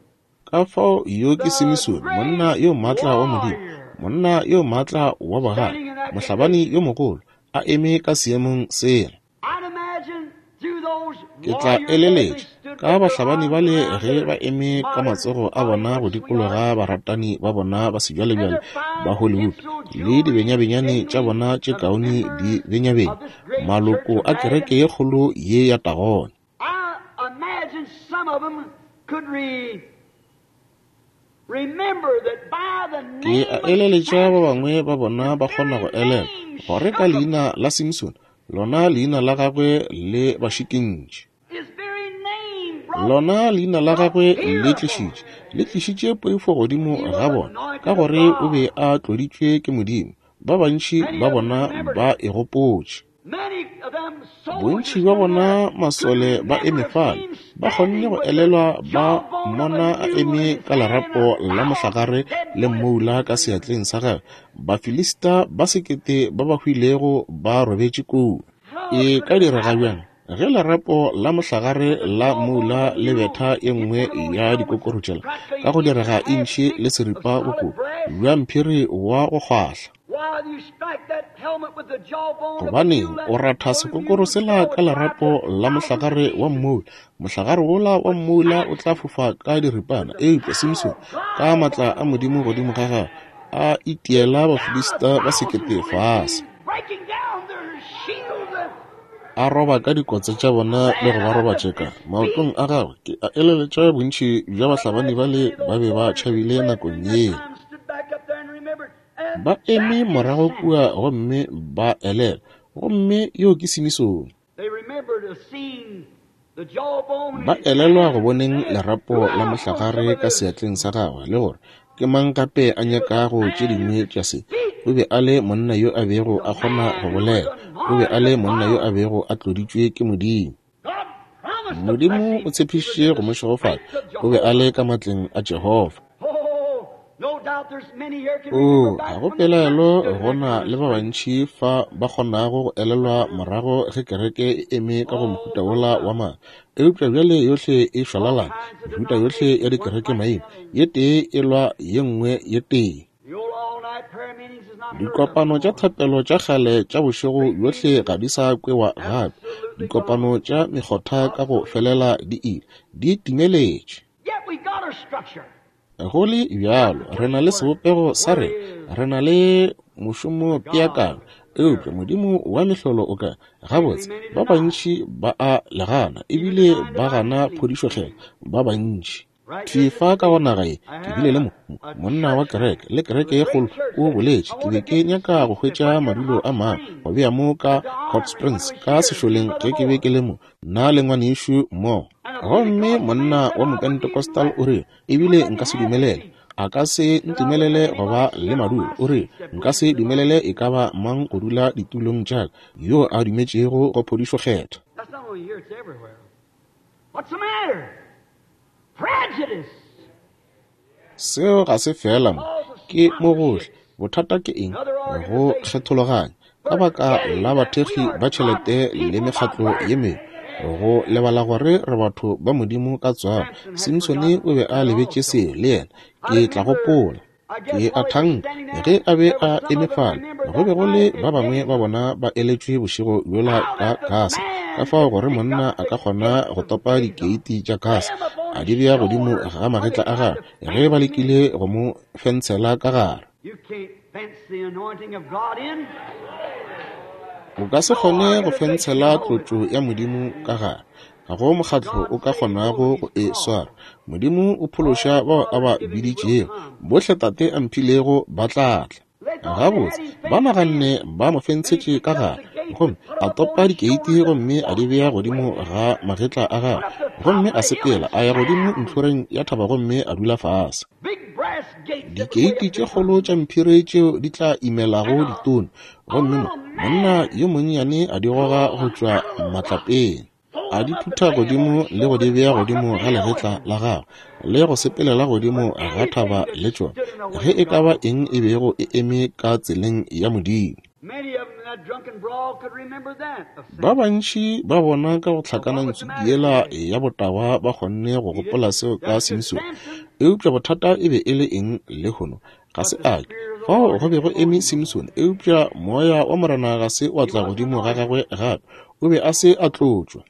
Ka fao yo ke
the
Simisone,
great
monna yo maatla wa Modimo,
warrior,
monna yo maatla wa bogale,
standing in that
mohlabani
condition.
yo mogolo, a eme ka seemong sela.
I'd imagine through those
Ke tla eleletša ka bahlabani bale ge ba eme ka matsogo a bona go dikologa baratani ba bona ba sebjalebjale ba Hollywood le dibenyabenyane tša bona tše kaone di benyabenya, maloko a kereke ye kgolo ye ya Tagone. Ke a eleletša ba bangwe ba bona ba kgona go elela gore ka leina la Simpson, lona leina la gagwe le ba šikintše. Lona leina la gagwe le tlišitše, le tlišitše poifo godimo ga bona, ka gore o be a tloditšwe ke Modimo. Ba bantši ba bona ba e gopotše. Bontši bja bona masole ba eme fale, ba kgonne go elelwa ba mmona a eme ka lerapo la mohlagare le mmoula ka seatleng sa gagwe. Bafilista ba sekete ba ba hwilego ba robetše kua. E ka direga bjang ge lerapo la mohlagare la mmoula le betha ye nngwe ya dikokoro tšela ka go direga intšhi le seripa bokobo bja mphiri wa go kgwahla? Gobaneng o ratha sekokoro sela ka lerapo la mohlagare wa mmoula? Mohlagare wola wa mmoula o tla fofa ka diripana. Eupša Simpson, ka matla a Modimo godimo ga gagwe, a itiela Bafilista ba sekete fase, a roba ka dikotse tša bona le go ba robatšeka maotong a gagwe. Ke a eleletša bontši bja bahlabani bale ba be ba tšhabile nakong yeo. Ba eme morago kua gomme ba elela, gomme yo ke Simisone. Ba elelwa go boneng lerapo la mohlagare ka seatleng sa gagwe le gore ke mang gape a nyakago tše dingwe tša se. O be a le monna yo a bego a kgona go bolela. O be a le monna yo a bego a tloditšwe ke Modimo. Modimo o tshepišitše go mo šegofatša. O be a le ka matleng a Jehofa. O, ga go pelaelo go na le ba bantši fa ba kgonago go elelwa morago ge kereke e eme ka go mohuta wola wa maatla. Eupša bjale yohle e šwalalana, mehuta yohle ya dikereke maina, ye tee e lwa ye nngwe ye tee. Dikopano tša thapelo tša kgale tša bošego bjohle ga di sa kwewa gape. Dikopano tša mekgotha ka go felela di ile, di timeletše. Go le bjalo, re na le sebopego sa rena, re na le mošomo peakanyo, eupša Modimo wa mehlolo o ka gabotse. Ba bantši ba a legana, ebile ba gana phodišokgethwa ba bantši. Thwi fa ka go naga ye, ke bile le mo monna wa kereke le kereke ye kgolo o boletše. Ke be ke nyaka go hwetša madulo a mangwe go bea mo ka Hot Springs ka sešoleng ge ke be ke le mo, nna le ngwanešu mmogo. Gomme monna wa Mopentecostal o rile, ebile nka se dumelele, a ka se ntumelele go ba le madulo. O rile, nka se dumelele e ka ba mang go dula ditulong tša ka yo a dumetšego go phodišokgethwa. Seo ga se fela mo, ke mo gohle. Bothata ke eng? Go kgethologanya ka baka la bathekgi ba tšhelete le mekgatlo ye mengwe, go lebala gore re batho ba Modimo ka tswalo. Simpsone o be a lebetše seo le yena. Ke tla gopola, ke a thanka ge a be a eme fale, go be go le ba bangwe ba bona ba eletšwe bošego bjola ka Gasa, ka fao gore monna a ka kgona go topa dikeiti tša Gasa a di bea godimo ga magetla a gagwe ge ba lekile go mo fentshela ka gare. O ka se kgone go fentshela tlotšo ya Modimo ka gare. Ga go mokgatlo o ka kgonago go e swara. Modimo o phološa bao a ba biditšego. Bohle Tate a mphilego ba tla tla. Gabotse ba naganne ba mo fentshetše ka gare, gomme a topa dikeiti gomme a di bea godimo ga magetla a gagwe, gomme a sepela a ya godimo ntlhoreng ya thaba gomme a dula fase. Dikeiti tše kgolo tša mphiri tšeo di tla imelago ditone, gomme mo monna yo monnyane a di goga go tšwa matlapeng, a di phutha godimo le go di bea godimo ga legetla la gagwe le go sepelela godimo ga thaba le tšona, ge e ka ba eng e bego e eme ka tseleng ya Modimo. Ba bantši ba bona ka go hlakana ntsuki yela ya botagwa ba kgonne go gopola seo ka Simpson. Eupša bothata e be e le eng lehono? Ga se a ke fao go be go eme Simpson, eupša moya wa Morena ga se wa tla godimo ga gagwe gape. O be a se a tlotšwa.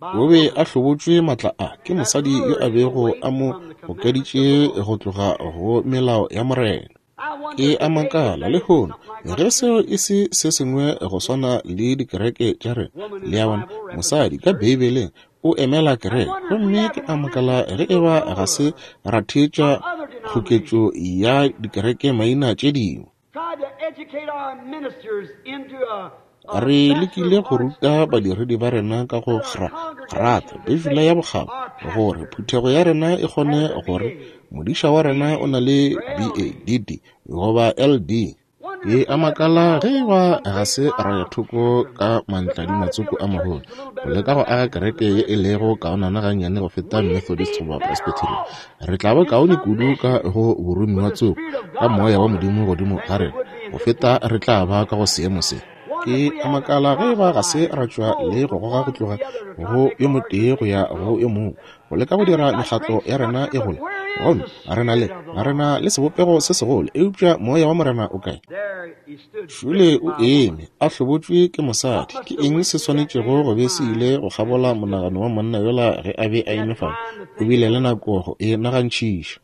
O be a hlobotšwe matla a ke mosadi yo a bego a mo gokeditše go tloga go melao ya Morena. Ke a makala lehono ge seo e se se sengwe go swana le dikereke tša rena. Le a bona, mosadi ka Beibeleng o emela kereke, gomme ke a makala ge eba ga se ra theetša kgoketšo ya dikereke maina tše dingwe. Re lekile go ruta badiredi ba rena ka go grata Bibele ya bokgabo gore phuthego ya rena e kgone gore modiša wa rena o na le B A D D goba L D. Ke a makala ge eba ga se ra ya thoko ka mantladimatsoko a magolo go leka go aga kereke ye e lego kaonana gannyane go feta Methodist goba Presbyterian. Re tla ba kaone kudu ka go boromiwa tsoko ka moya wa Modimo godimo ga rena go feta re tla ba ka go seemo se. Ke a makala ge eba ga se ra tšwa le go goga go tloga go yo motee go ya go yo mongwe go leka go dira mekgatlo ya rena e gole, gomme re na le re na le sebopego se segolo, eupša moya wa Morena o kae? Šule o eme a hlobotšwe ke mosadi. Ke eng se swanetšego go be se ile go kgabola monagano wa monna yola ge a be a eme fale? O bile le nako go e nagantšhiša.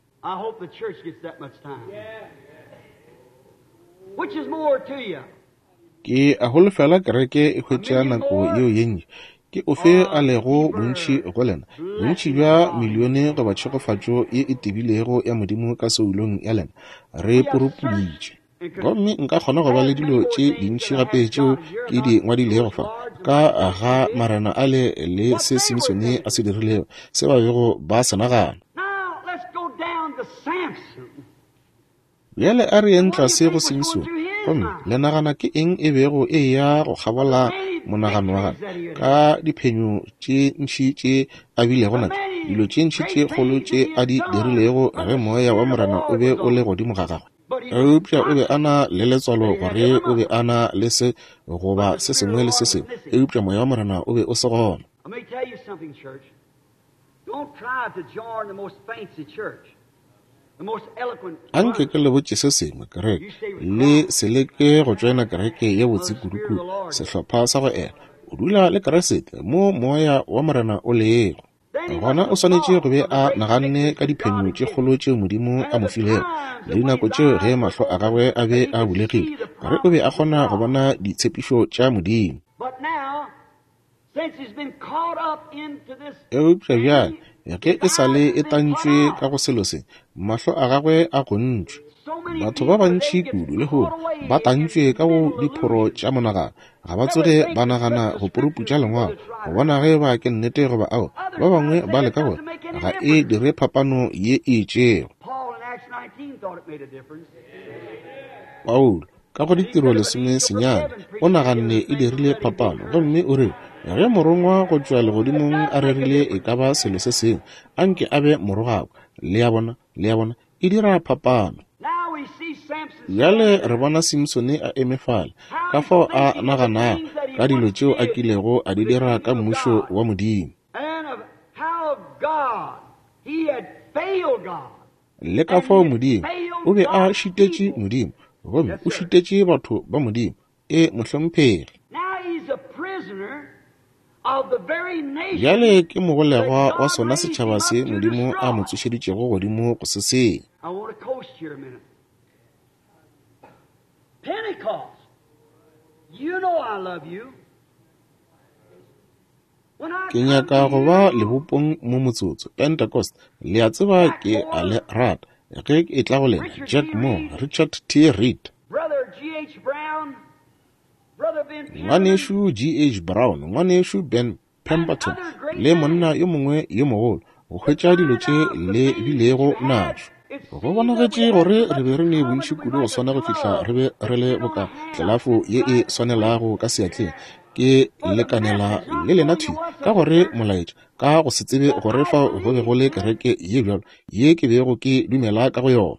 Ke a holofela kereke e hwetša nako yeo ye ntši. Ke ofe a lego bontši go lena, bontši bja milione goba tšhegofatšo ye e tebilego ya Modimo ka soulong ya lena? Re purupuditše, gomme nka kgona go ba le dilo tše dintši gape tšeo ke di ngwadilego fa ka ga marena ale le se Simsone a se dirilego, se ba bego ba se nagana. Bjale a re yeng tlase go Simsone, gomme le nagana ke eng e bego e ya go kgabola monagano wa gagwe ka diphenyo tše ntši tše a bilego natšo, dilo tše ntši tše kgolo tše a di dirilego ge moya wa Morena o be o le godimo ga gagwe. Eupša o be a na le letswalo gore o be a na le se goba se sengwe le se sengwe, eupša moya wa Morena o be o se gona. Anke ke le botše se sengwe, kereke, le se leke go tšoena kereke ye botse kudu-kudu, sehlopha sa go ela. O dula le Kriste mo moya wa Morena o lego gona. O swanetše go be a naganne ka diphenyo tše kgolo tšeo Modimo a mo filego le dinako tšeo ge mahlo a gagwe a be a bulegile, gore o be a kgona go bona ditshepišo tša Modimo. Eupša bjale ge e sa le e tantšwe ka go selo se, mahlo a gagwe a gontšwe. Batho ba bantši kudu lehono ba tantšwe ka go diphoro tša monagano, ga ba tsoge ba nagana go puruputša lengwalo go bona ge ba ke nnete goba ao. Ba bangwe ba leka gore ga e dire phapano ye e itšego. Paulo ka go ditiro lesome senyane o naganne e dirile phapano, gomme o re ge morongwa go tšwa legodimong a rerile e ka ba selo se sengwe, anke a be morogakwa. Le a bona, le a bona, e dira phapano. Bjale re bona Simsone a eme fale, ka fao a naganago ka dilo tšeo a kilego a di dira ka mmušo wa Modimo, le ka fao Modimo o be a šitetše Modimo, gomme o šitetše batho ba Modimo. E mohlomphegi. Bjale ke mogolegwa wa sona setšhaba se Modimo a mo tsošeditšego godimo go se senya. Ke nyaka go ba lebopong mo motsotso. Pentecost, le a tseba ke a le rata. Ge e tla go lena, Jack Moore, Richard T. Reed, ngwanešu G H Brown, ngwanešu Ben Pemberton, le monna yo mongwe yo mogolo, go hwetša dilo tše le bilego natšo. Go bonagetše gore re be re ne bontši kudu go swana go fihla re be re le boka tlelafo ye e swanelago ka seatleng. Ke lekanela le lena thwi ka gore molaetša, ka go se tsebe gore fao go be go le kereke ye bjalo ye ke bego ke dumela ka go yona.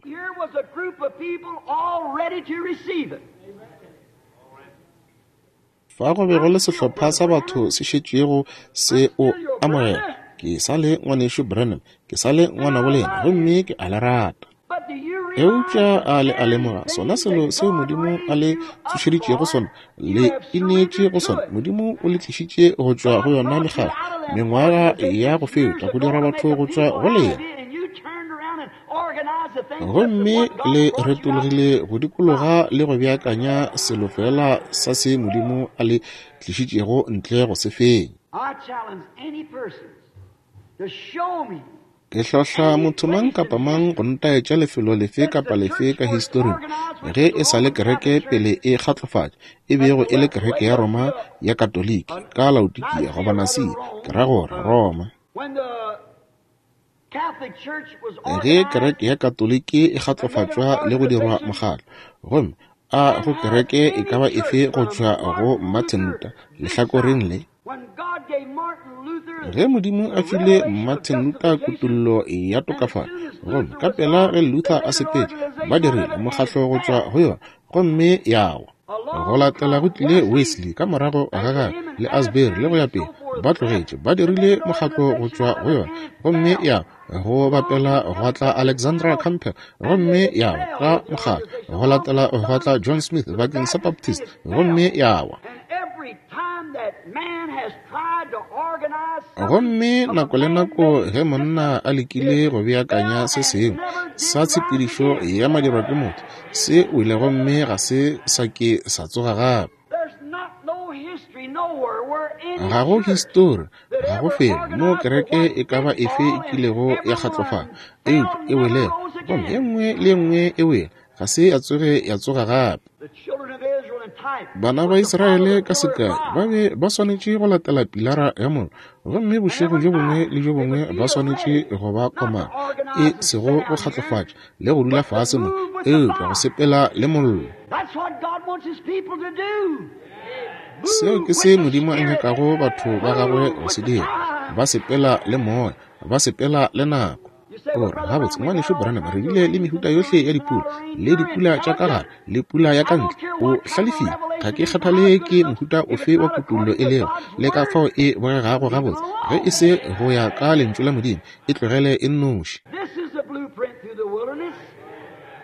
Fa go be go le sehlopha sa batho se šetšego se o amogela. Ke sa le ngwanešu Branham, ke sa le ngwanabo lena, gomme ke a le rata. Eupša a le a lemoga sona selo seo Modimo a le tsošeditšego sona, le ineetše go sona. Modimo o le tlišitše go tšwa go yona mekgatlo mengwaga ya go feta go dira batho go tšwa go lena, gomme le retologile go dikologa le go beakanya selo fela sa se Modimo a le tlišitšego ntle go se fenya. Ke hlohla motho mang kapa mang go ntaetša lefelo lefe kapa lefe ka historing ge e sa le kereke pele e kgatlofatša, e bego e le kereke ya Roma ya Katoliki ka Laodikia goba Nasia, ke ra gore Roma. Ge kereke ya Katoliki e kgatlofatšwa le go dirwa mokgatlo, gomme a go kereke e ka ba efe go tšwa go Martin Luther lehlakoreng le. Ge Modimo a file Martin Luther kutollo ya tokafalo, gomme ka pela ge Luther a sepetše, ba dirile mokgatlo go tšwa go yona, gomme ya wa. Go latela go tlile Wesley ka morago ga gagwe le Asbury le go ya pele, ba tlogetše, ba dirile mokgatlo go tšwa go yona, gomme ya go bapela gwa tla Alexandra Campbell, gomme ya wa ka mokgatlo. Go latela gwa tla John Smith bakeng sa Baptist, gomme ya wa. Gomme nako le nako ge monna a lekile go beakanya se sengwe sa tshepedišo ya madirwa ke motho, se wele gomme ga se sa ke sa tsoga gape. Ga go histori, ga go felo mo kereke e ka ba efe e kilego ya kgatlofala, eupša e welego, gomme ye nngwe le ye nngwe e wele, ga se ya tsoge ya tsoga gape. Bana ba Israele ka sekai ba be ba swanetše go latela pilara ya mollo, gomme bošego bjo bongwe le bjo bongwe ba swanetše go ba komana, e sego go kgatlofatša le go dula fase mo, eupša go sepela le mollo. Seo ke se Modimo a nyakago batho ba gagwe go se dira, ba sepela le moya, ba sepela le nako. Ore gabotse ngwanešu Branham, re bile le mehuta yohle ya dipula, le dipula tša ka gare le pula ya ka ntle. O hlalefile, ga ke kgathale ke mohuta ofe wa kutollo e lego, le ka fao e bogegago gabotse, ge e se go ya ka lentšu la Modimo, e tlogele e nnoši.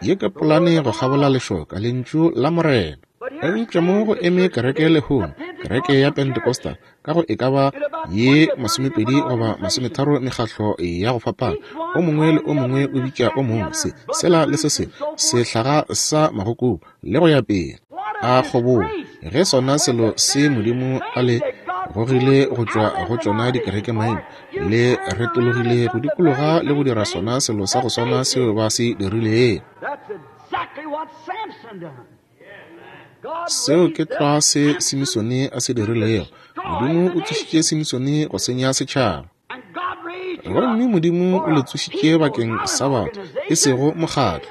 Ye ke polane go kgabola lešoka, lentšu la Morena. Eupša mo go eme kereke lehono, kereke ya Pentecostal, ka go e ka ba ye masomepedi goba masometharo mekgatlo ya go fapana, o mongwe le o mongwe o bitša o mongwe se, sela le se sengwe, sehlaga sa magokobu le go ya pele. A kgobogo ge sona selo se Modimo a le gogile go tšwa go tšona dikereke maina, le retologile go dikologa le go dira sona selo sa go swana seo ba se dirilego. Seo ke tlwa se Simisone a se dirilego. Modimo o tsošitše Simisone go senya setšhaba, gomme Modimo o le tsošitše bakeng sa batho, e sego mokgatlo.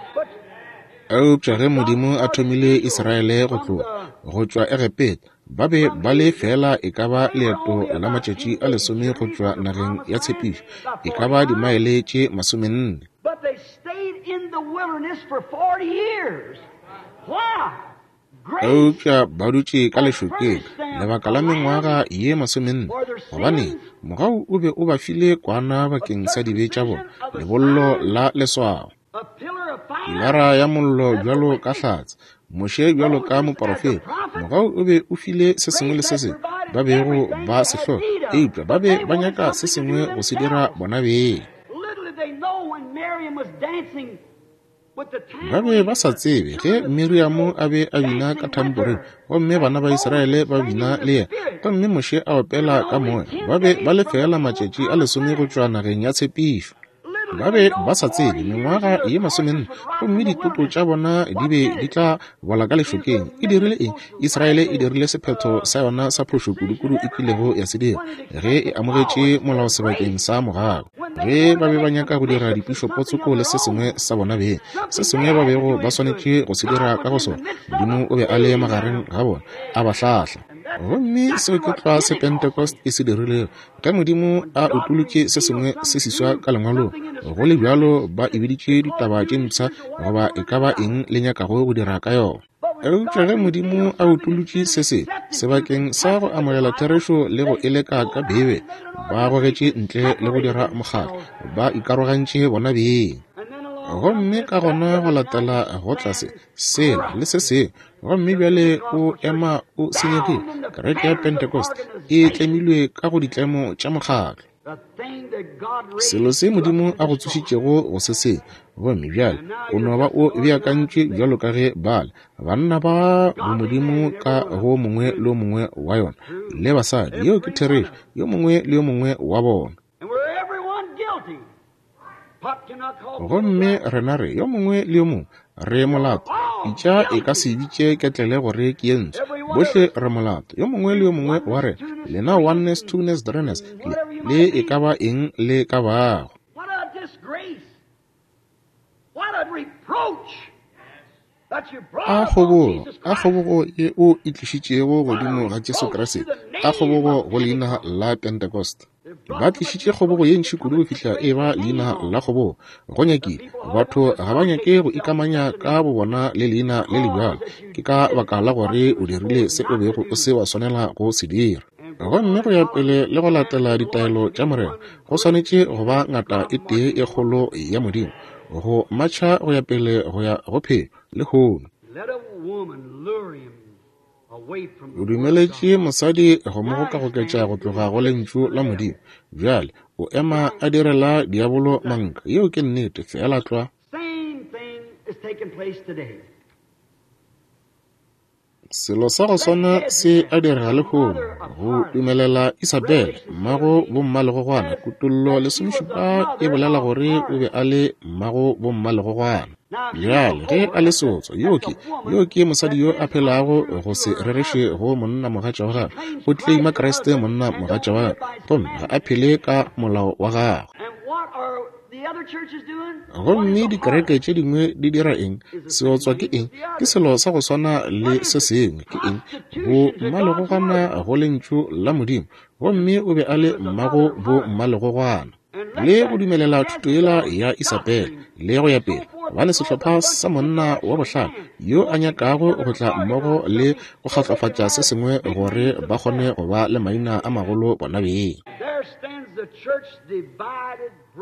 Eupša ge Modimo a thomile Israele go tloga go tšwa Egepeta, ba be ba le fela e ka ba leeto la matšatši a lesome go tšwa nageng ya tshepišo, e ka ba dimaele tše masomenne. Eupša ba dutše ka lešokeng lebaka la mengwaga ye masomenne, gobane mogau o be o ba file kwana bakeng sa dibe tša bona, lebollo la leswao, pilara ya mollo bjalo ka hlatse, Moshe bjalo ka moporofeta. Mogau o be o file se sengwe le se sengwe ba bego ba se hloka, eupša ba be ba nyaka se sengwe go se dira bona beng. Ba be ba sa tsebe ge Miriamo a be a bina ka tamboreng, gomme bana ba Israele ba bina le yena, gomme Moshe a opela ka moya. Ba be ba le fela matšatši a lesome go tšwa nageng ya tshepišo. Ba be ba sa tsebe mengwaga ye masomenne, gomme ditopo tša bona di be di tla bola ka lešokeng. E dirile eng? Israele e dirile sephetho sa yona sa phošo kudukudu e kilego ya se dira ge e amogetše molao sebakeng sa mogau. Ge ba be ba nyaka go dira dipišopotsoko le se sengwe sa bona beng, se sengwe ba bego ba swanetše go se dira ka go sona, Modimo o be a le magareng ga bona, a ba hlahla. Gomme seo ke tlwa se Pentecost e se dirilego. Ge Modimo a utolotše se sengwe se seswa ka lengwalong, go le bjalo ba e biditše ditaba tše mpsha goba e ka ba eng le nyakago go dira ka yona. Eupša ge Modimo a utolotše se se sebakeng sa go amogela therešo le go eleka ka Bibele, ba gogetše ntle le go dira mokgatlo, ba ikarogantše bona beng. Gomme ka gona go latela go tlase sela le se sengwe, gomme bjale o ema o senyegile. Kereke ya Pentecost e tlemilwe ka go ditlemo tša mokgatlo. Selo se Modimo a go tsošitšego go se sengwe, gomme bjale o no ba o beakantšwe bjalo ka ge bale banna ba bomodimo ka go mongwe le mongwe wa yona le basadi. Yeo ke therešo, yo mongwe le yo mongwe wa bona. Gomme rena re yo mongwe le yo mongwe re molato. Pitša e ka se bitše ketlele gore ke ye ntsho. Bohle re molato, yo mongwe le yo mongwe wa rena. Lena oneness, twoness, threeness, le, le e ka ba eng le ka bago. A kgobogo, a kgobogo ye o e tlišitšego godimo ga Jesu Kriste, a kgobogo go leina la Pentecost. Ba tlišitše kgobogo ye ntši kudu go fihla e ba leina la kgobogo. Go nyakile batho ga ba nyake go ikamanya ka bobona le leina le le bjalo. Ke ka baka la gore o dirile se o bego o se wa swanela go se dira. Gomme go ya pele le go latela ditaelo tša Morena, go swanetše go ba ngata e tee e kgolo ya Modimo go matšha go ya pele go ya go phelo lehono. O dumeletše mosadi go mo gokagoketša go tloga go lentšu la Modimo. Bjale o ema a direla diabolo manka. Yeo ke nnete, feela tlwa. Selo sa go swana se a direga lehono, go dumelela Isabel, mmago bommalegogwana. Kutollo lesomešupa e bolela gore o be a le mmago bommalegogwana. Bjale ge a le seotswa, yo ke yo ke mosadi yo a phelago go se rereše go monna mogatša wa gagwe. O tleima Kriste monna mogatša wa gagwe, gomme ga a phele ka molao wa gagwe. Gomme dikereke tše dingwe di dira eng? Seotswa ke eng? Ke selo sa go swana le se sengwe. Ke eng? Bo mmalegogwana go lentšu la Modimo. Gomme o be a le mmago bo mmalegogwana. Le go dumelela thuto yela ya Isabel le go ya pele, gobane sehlopha sa monna wa bohlale yo a nyakago go tla mmogo le go kgatlofatša se sengwe gore ba kgone go ba le maina a magolo bona beng.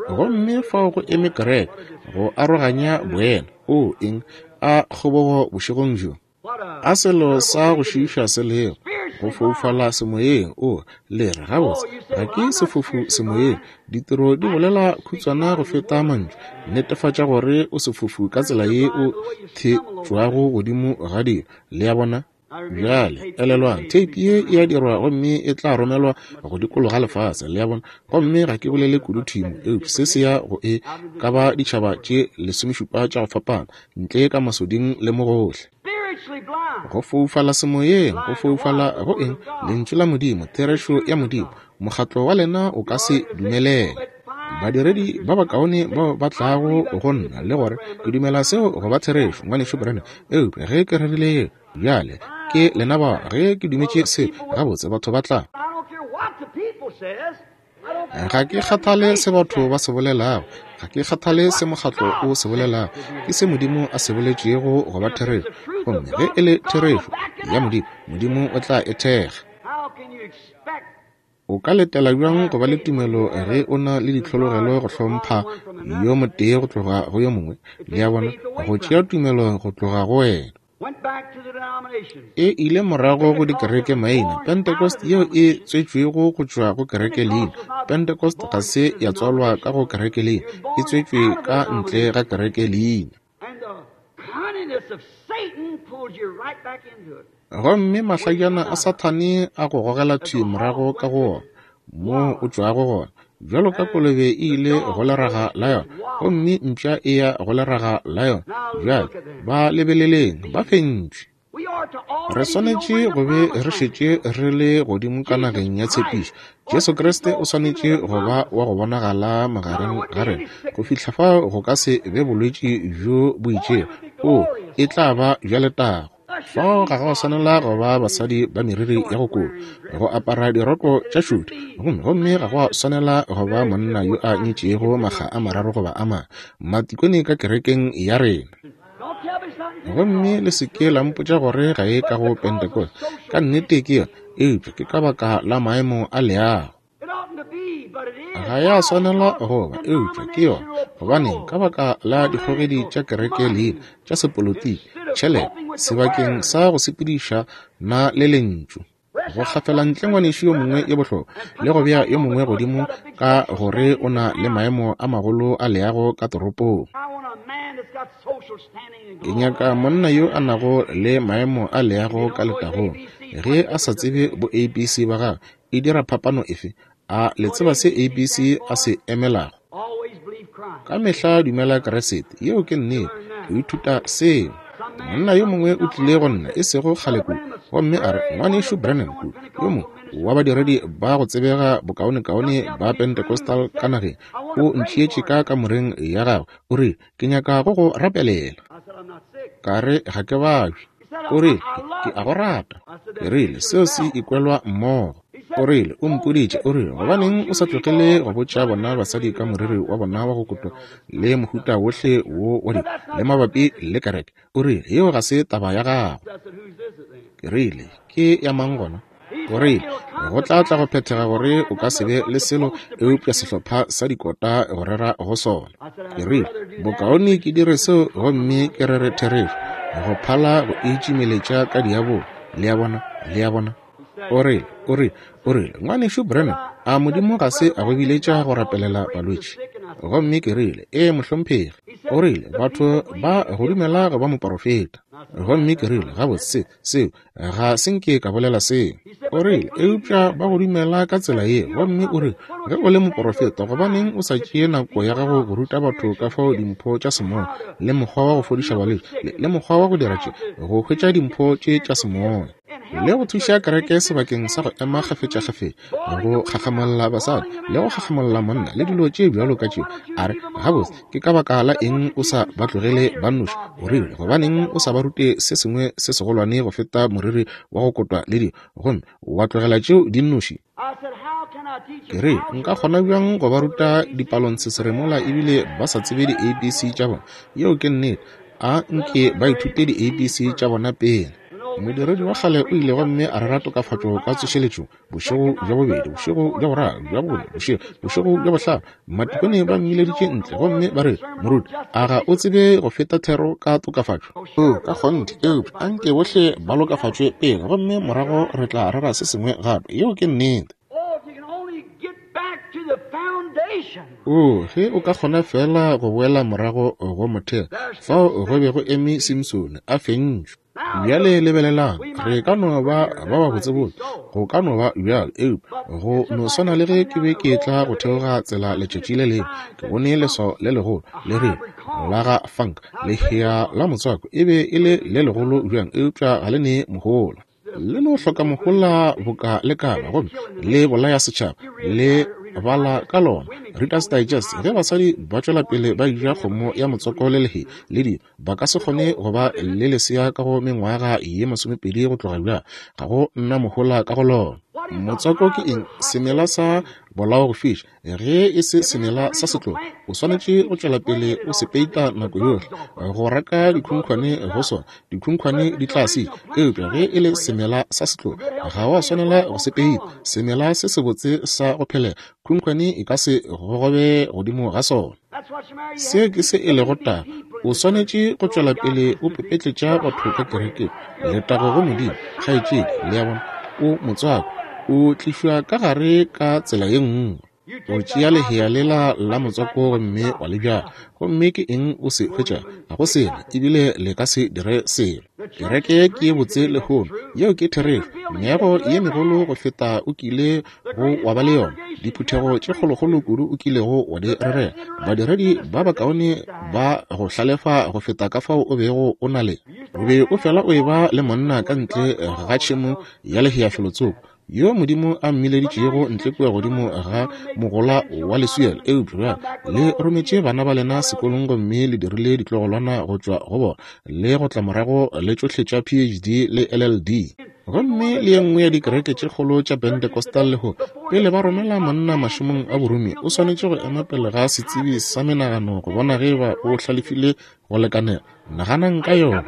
Gomme fao go eme kereke go aroganya boena. O eng? A kgobogo bošegong bjo. A selo sa go šiiša se lego, go foufala semoyeng. O le re gabotse, ga ke sefofu semoyeng. Ditiro di bolela khutswana go feta mantšu. Netefatša gore o sefofu ka tsela ye o thetšwago godimo ga dilo. Le a bona? Bjale elelwang, theipi ye e a dirwa gomme e tla romelwa go dikologa lefase. Le a bona? Gomme ga ke bolele kudu thimo, eupša se se ya go e ka ba ditšhaba tše lesomešupa tša go fapana, ntle ka masoding le mo gohle. Go foufala semoyeng, go foufala go eng? Lentšu la Modimo, therešo ya Modimo. Mokgatlo wa lena o ka se dumelele. Badiredi ba bakaone bao ba tlago go nna le gore ke dumela seo go ba therešo, ngwanešu Branham, eupša ge ke rerile bjale ke lena ba, ge ke dumetše seo gabotse, batho ba tla. Ga ke kgathale se batho ba se bolelago, ga ke kgathale se mokgatlo o se bolelago, ke se Modimo a se boletšego go ba therešo. Gomme ge e le therešo ya Modimo, Modimo o tla e thekga. O ka letela bjang go ba le tumelo ge o na le ditlhologelo go hlompha yo motee go tloga go yo mongwe? Le a bona, go tšea tumelo go tloga go wena. E ile morago go dikereke maina. Pentecost yeo e tswetšwego go tšwa go kereke leina. Pentecost ga se ya tswalwa ka go kereke leina, e tswetšwe ka ntle ga kereke leina. Gomme mahlajana a Sathane a go gogela thwi morago ka go wona moo o tšwago gona. Bjalo ka kolobe e ile go leraga la yona, gomme mpša e ya go leraga la yona. Bjale ba lebeleleng, ba fentšwe. Re swanetše go be re šetše re le godimo ka nageng ya tshepišo. Jesu Kriste o swanetše go ba wa go bonagala magareng ga rena go fihla fao go ka se be bolwetši bjo bo itšego. O e tla ba bja letago. Fao ga go swanela go ba basadi ba meriri ya go koba, go apara diroko tša šudi, gomme gomme ga go swanela go ba monna yo a nyetšego makga a mararo goba a mane matikone ka kerekeng ya rena. Gomme le se ke la mpotša gore ga e ka go Pentecost. Ka nnete ke yona, eupša ke ka baka la maemo a leago. Ga ya swanela go ba, eupša ke yona. Gobaneng? Ka baka la dikgogedi tša kereke leina, tša sepolotiki, tšhelete, sebakeng sa go sepediša na le lentšu. Go gafela ntle ngwanešu yo mongwe yo bohlokwa le go bea yo mongwe godimo ka gore o na le maemo a magolo a leago ka toropong. Ke nyaka monna yo a nago le maemo a leago ka letagong. Ge a sa tsebe bo A B C ba gagwe, e dira phapano efe? A le tseba se A B C a se emelago? Ka mehla dumela Kriste. Yeo ke nnete. O ithuta seo. Monna yo mongwe o tlile go nna e sego kgale kudu, gomme a re, Ngwanešu Branham kudu, yo mongwe wa badiredi ba go tsebega bokaonekaone ba Pentecostal ka nageng, o ntšeetše ka kamoreng ya gagwe. O rile, ke nyaka go go rapelela. Ka re, ga ke babje. O rile, ke a go rata. Ke rile, seo se ikwelwa mmogo. O rile, o mpoditše, o rile, gobaneng o sa tlogele go botša bona basadi ka moriri wa bona wa go kotwa le mohuta wohle wo wa di le mabapi le kereke. O rile, yeo ga se taba ya gago. Ke rile, ke ya mang gona? O rile, go tla tla go phethega gore o ka se be le selo eupša sehlopha sa dikota go rera go sona. Ke rile, bokaone ke dire seo gomme ke rere therešo, go phala go itšimeletša ka diabolo. Le a bona, le a bona. O rile, o rile, o rile, Ngwanešu Branham, a Modimo ga se a go biletša go rapelela balwetši? Gomme ke rile, ee mohlomphegi. O rile, batho ba go dumela go ba moporofeta. Gomme ke rile, gabotse, seo ga se nke ka bolela seo. O rile, eupša ba go dumela ka tsela ye. Gomme o rile, ge o le moporofeta, gobaneng o sa tšee nako ya gago go ruta batho ka fao dimpho tša semoya le mokgwa wa go fodiša balwetši le, le mokgwa wa go dira tše, go hwetša dimpho tše tša semoya le go thuša kereke sebakeng sa go ema kgafetšakgafetša, go gagamolla basadi le go gagamolla monna le dilo tše bjalo ka tšeo. A re, gabotse, ke ka baka la eng o sa ba tlogele ba nnoši? O rile, gobaneng o sa ba rute se sengwe se segolwane go feta moriri wa go kotwa le dilo, gomme wa tlogela tšeo di nnoši? Ke re, nka kgona bjang go ba ruta dipalontsheseremola ebile ba sa tsebe di A B C tša bona? Yeo ke nnete. A nke ba ithute di A B C tša bona pele. Modiredi wa kgale o ile gomme a rera tokafatšo ka tsošeletšo bošego bja bobedi, bošego bja boraro, bja bone, bošego, bošego bja bohlano. Matikone ba mmileditše ntle gomme ba re, moruti, a ga o tsebe go feta thero ka tokafatšo? O, ka kgonthe, eupša a nke bohle ba lokafatšwe pele, gomme morago re tla rera se sengwe gape. Yeo ke nnete. O, ge o ka kgona fela go boela morago go motheo, fao go be go eme Simsone a fentšwe. Bjale lebelelang, re ka no ba ba ba botsebotse, go ka no ba bjalo, eupša go no swana le ge ke be ke tla go theoga tsela letšatši le lengwe, ke bone leswao le legolo le rile la ga Funk, lehea la motswako e be e le le legolo bjang, eupša ga le ne mohola. Le no hloka mohola boka le kaba, gomme le bolaya setšhaba, le bala ka lona. Reader's Digest, ge basadi ba tšwela pele ba ja kgomo ya motswako le lehe le dilo, ba ka se kgone go ba le lesea ka go mengwaga ye masomepedi go tloga bjang. Ga go nna mohola ka go lona. Motswako ke eng? Semela sa bolao go fiša. Ge e se semela sa setlogo, o swanetše go tšwela pele o se peita nako yohle go raka dikhunkhwane go sona. Dikhunkhwane di tla se, eupša ge e le semela sa setlogo, ga wa swanela go se peita. Semela se sebotse sa go phelela, khunkhwane e ka se gogobe godimo ga sona. Se ke se e lego taba. O swanetše go tšwela pele o pepetletša batho ka kerekeng. Letago go Modimo, kgaetšedi, le a bona, o motswako o tlišwa ka gare ka tsela ye nngwe. O tšea lehea lela la motswako gomme wa le bjala, gomme ke eng o se hwetša? Ga go selo, ebile le ka se dire selo. Kereke ke ye botse lehono, yeo ke therešo. Meago ye megolo go feta o kile go wa ba le yona, diphuthego tše kgolokgolo kudu o kilego wa di rerela, badiredi ba bakaone ba go hlalefa go feta ka fao o bego o na le. O be o fela o eba le monna ka ntle ga tšhemo ya lehea felotsoko, yo Modimo a mmileditšego ntle kua godimo ga mogola wa leswielo. Eupša bjale le rometše bana ba lena sekolong gomme le dirile ditlogolwana go tšwa go bona, le go tla morago le tšohle tša P H D le L L D. Gomme le ye nngwe ya dikereke tše kgolo tša Pentecostal lehono, pele ba romela monna mašomong a borumi, o swanetše go ema pele ga setsebi sa menagano go bona ge ba o hlalefile go lekanela. Naganang ka yona.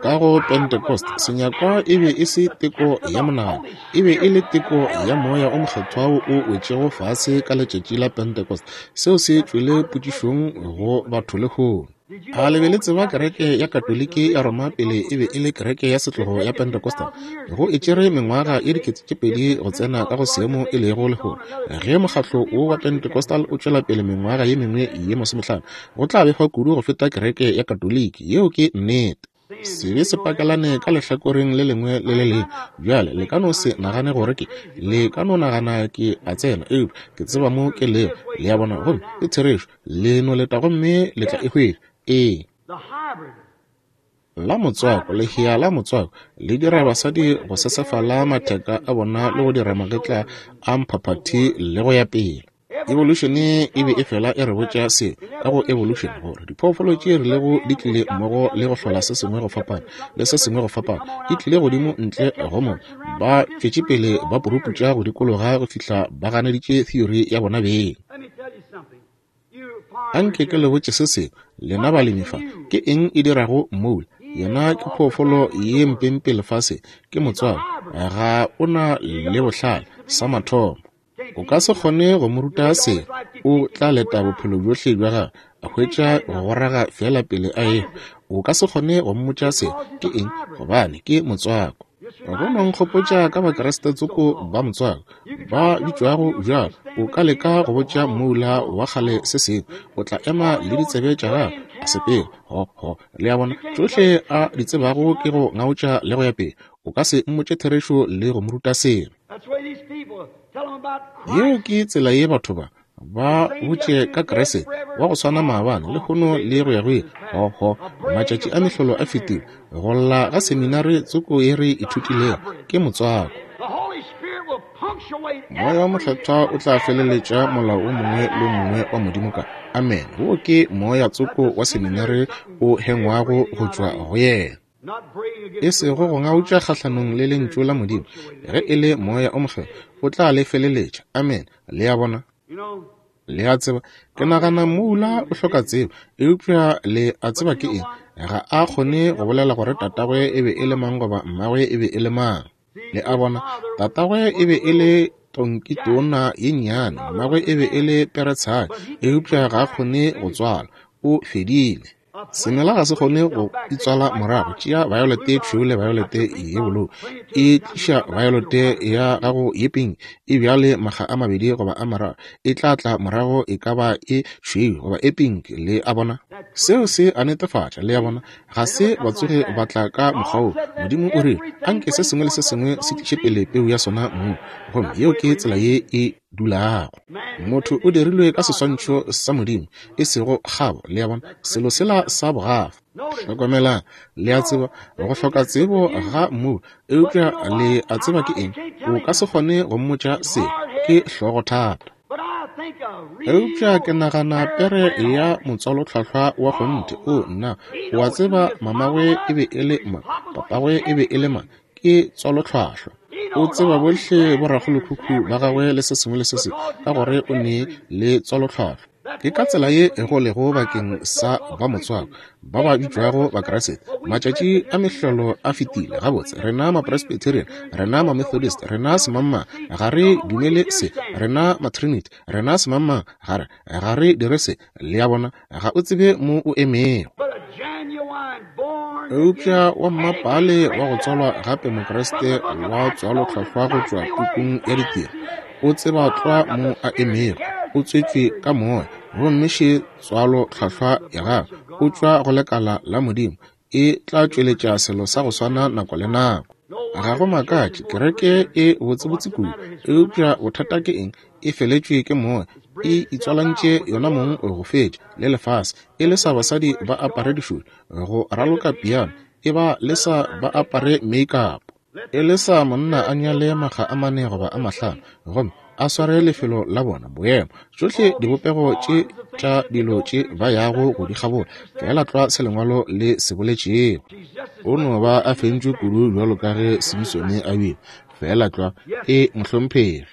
Ka go Pentecost, senyakwa e be e se teko ya monagano, e be e le teko ya Moya o Mokgethwa wo o wetšego fase ka letšatši la Pentecost. Seo se tšwele potšišong go batho lehono. A le be le tseba kereke ya Katoliki ya Roma pele e be e le kereke ya setlogo ya Pentecostal? Go e tšere mengwaga ye dikete tše pedi go tsena ka go seemo e lego lehono. Ge mokgatlo wo wa Pentecostal o tšwela pele mengwaga ye mengwe ye masomehlano, go tla befa kudu go feta kereke ya Katoliki. Yeo ke nnete. Sebe se pakelane ka lehlakoreng le lengwe le le lengwe. Bjale le ka no se nagane gore ke, le ka no nagana ke a tsena, eupša ke tseba mo ke lego. Le a bona, gomme ke therešo. Le no leta gomme le tla e hwetša. Ee. La motswako, lehea la motswako le dira basadi go sesefala matheka a bona le go dira magetla a mphaphathi le go ya pele. Evolution e be e fela e re botša se ka go evolution, gore diphoofolo tše rilego di tlile mmogo le go hlola se sengwe go fapana le se sengwe go fapana, di tlile godimo ntle go mo ba tšwetše pele ba puruputša go dikologa go fihla ba ganeditše theory ya bona beng. Anke ke le botše se sengwe, lena balemi fa, ke eng e dirago moula? Yena ke phoofolo ye mpempe lefase, ke motswako, ga o na le bohlale sa mathomo. O ka se kgone go mo ruta se, o tla leta bophelo bjohle bja gagwe, a hwetša go goraga fela pele a ehwa. O ka se kgone go mmotša se, ke eng? Gobane ke motswako. Go no nkgopotša ka Bakriste tsoko ba motswako ba bitšwago bjalo. O ka leka go botša moula wa kgale se sengwe, o tla ema le ditsebe tša gagwe a sepela. Ho ho, le a bona, tšohle a di tsebago ke go ngaotša le go ya pele. O ka se mmotše therešo le go mo ruta selo. Yeo ke tsela ye batho ba ba botše ka Kriste wa go swana maabane, lehono le go ya go ile. Ho ho, matšatši a mehlolo a fetile. Go lla ga seminari tsoko ye re ithutilego ke motswako. Moya wa Mokgethwa o tla feleletša molao o mongwe le o mongwe wa Modimo ka amen. Wo ke moya tsoko wa seminari o hengwago go tšwa go yena, e sego go ngautša kgahlanong le lentšu la Modimo. Ge e le Moya o Mokgethwa o tla le feleletša. Amen. Le a bona? Le a tseba, ke nagana moula o hloka tsebo, eupša le a tseba ke eng? Ga a kgone go bolela gore tatagwe e be e le mang goba mmagwe e be e le mang. Le a bona, tatagwe e be e le tonkitona ye nnyane, mmagwe e be e le peretshadi, eupša ga a kgone go tswala, o fedile. Semela ga se kgone go itswala morago. Tšea violete e tšhweu le violete ye bolou, e tliša violete ya gago ye pink, e bjale makga a mabedi goba a mararo, e tla tla morago e ka ba e tšhweu goba e pink. Le a bona, seo se a netefatša. Le a bona, ga se ba tsoge ba tla ka mokgwa wo. Modimo o rile anke se sengwe le se sengwe se tliše pele peu ya sona mong, gomme yeo ke tsela ye e dulago. Motho o dirilwe ka seswantšho sa Modimo, e sego kgabo. Le a bona, selo sela sa bogafa. Hlokomelang, le a tseba go hloka tsebo ga mmu, eupša le a tseba ke eng? O ka se kgone go mmotša se, ke hlogothata. Eupša ke nagana pere ya motswalotlhahlwa wa kgonthe. O nna, o a tseba mamagwe e be e le mang, papagwe e be e le mang, ke tswalotlhwahlwa. O tseba bohle borakgolokhukhu ba gagwe le se sengwe le se sengwe, ka gore o ne le tswalotlhwahlwa. Ke ka tsela ye go lego bakeng sa ba motswako ba ba bitšwago Bakriste. Matšatši a mehlolo a fetile. Gabotse, rena ma-Presbyterian, rena ma-Methodist, rena semangmang, ga re dumele se. Rena ma-Trinity, rena semangmang, ga re ga re dire se. Le a bona, ga o tsebe mo o emego. Eupša wa mmapale wa go tswalwa gape Mokriste wa tswalotlhwahlwa go tšwa pukung ya ditiro, o tseba tlwa mo a emego. O tswetšwe ka moya, gomme še tswalotlhwahlwa ya gagwe, o tšwa go lekala la Modimo, e tla tšweletša selo sa go swana nako le nako. Ga go makatše kereke e botsebotse kudu, eupša bothata ke eng? E feletšwe ke moya, e itswalantše yona mong go fetša le lefase. E le sa basadi ba apare dišulo, go raloka piano, e ba le sa ba apare make-up, e le sa monna a nyale makga a mane goba a mahlano, gomme a sware lefelo la bona boemo. Tšohle dibopego tše tša dilo tše ba yago go di kgabola, fela tlwa se lengwalo le se boletšego. O no ba a fentšwe kudu bjalo ka ge Simsone a bile, fela tlwa e mohlomphegi.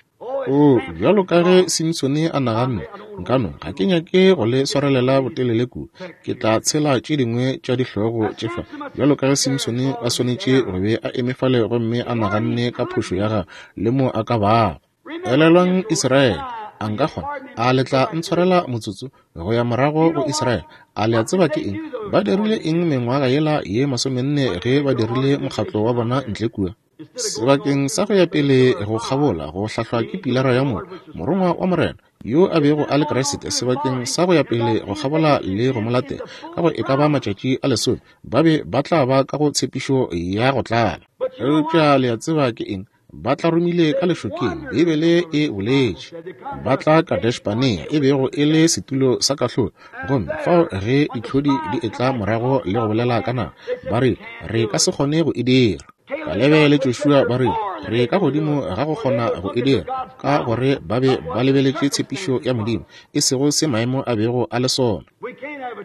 O, bjalo ka ge Simsone a naganne, nkano ga ke nyake go le swarelela botelele kudu, ke tla tshela tše dingwe tša dihlogo tše fa. Bjalo ka ge Simsone a swanetše go be a eme fale gomme a naganne ka phošo ya gagwe le mo a ka bago. Elelwang Israele, a nka kgona, a le tla ntshwarela motsotso go ya morago go Israele. A le a tseba ke eng? Ba dirile eng mengwaga yela ye masomenne ge ba dirile mokgatlo wa bona ntle kua? Sebakeng sa go ya pele go kgabola go hlahlwa ke pilara ya mollo, morongwa wa Morena yo a bego a le Kriste, sebakeng sa go ya pele go kgabola le go mo latela ka go e ka ba matšatši a lesome, ba be ba tla ba ka go tshepišo ya go tlala. Eupša le a tseba ke eng? Ba tla romile ka lešokeng, Beibele e boletše. Ba tla Kadesh-Barnea, e bego e le setulo sa kahlolo. Gomme fao ge ditlhodi di etla morago le go bolela ka naga, ba re, re ka se kgone go e dira. Kalebe le Joshua ba re, re ka godimo ga go kgona go e dira, ka gore ba be ba lebeletše tshepišo ya Modimo, e sego se maemo a bego a le sona.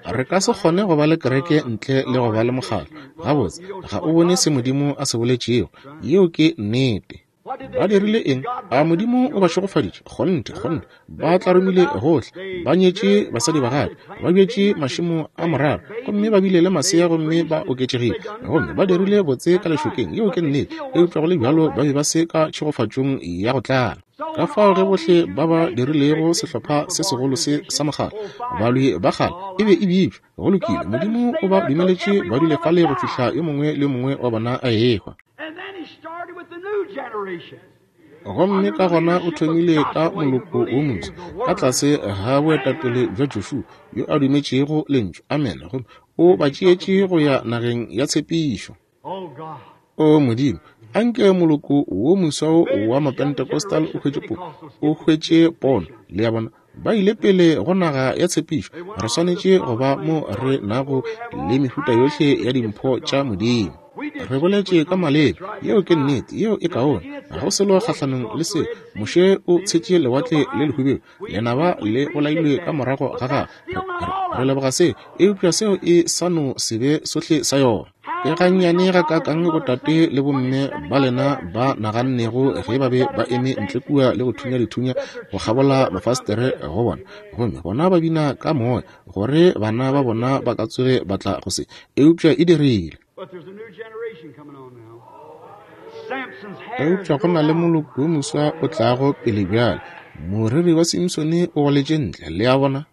Re ka se kgone go ba le kereke ntle le go ba le mokgatlo. Gabotse, ga o bone se Modimo a se boletšego. Yeo ke nnete. Ba dirile eng? A Modimo o ba šegofaditše? Kgonthe, kgonthe. Ba tlarumile gohle, ba nyetše basadi ba gape, ba bjetše mašemo a morara, gomme ba bile le masea gomme ba oketšegile, gomme ba dirile botse ka lešokeng. Yeo ke nnete. Eupša go le bjalo ba be ba se ka tšhegofatšong ya go tlala. Ka fao ge bohle ba ba dirilego sehlopha se segolo se sa mokgatlo, balwi ba kgale, e be e bitšwa, go lokile, Modimo o ba dumeletše ba dule fale go fihla yo mongwe le mongwe wa bona a ehwa. Gomme ka gona o thomile ka moloko wo moswa ka tlase ga boetapele bja Joshua yo a dumetšego lentšu, amen, gomme o ba tšeetše go ya nageng ya tshepišo. O Modimo, anke moloko wo moswa wa Mapentecostal o hwetše po, o hwetše pono, le ya bona, ba ile pele go naga ya tshepišo. Re swanetše go ba mo re nago le mehuta yohle ya dimpho tša Modimo. Re boletše ka maleme, yeo ke nnete, yeo e kaone, ga go selo kgahlanong le seo. Moshe o tshetše lewatle le lehubedu, lenaba le bolailwe ka morago ga gagwe. Re leboga seo, eupša seo e sa no se be sohle sa yona. Ke gannyane ga kakang botate le bomme ba lena ba nagannego ge ba be ba eme ntle kua le go thunya dithunya go kgabola mafastere go bona, gomme bona ba bina ka moya gore bana ba bona ba ka tsoge ba tla go se, eupša e dirile. Eupša go na le moloko wo moswa o tlago pele bjale. Moriri wa Simsone o goletše ntle, le a bona.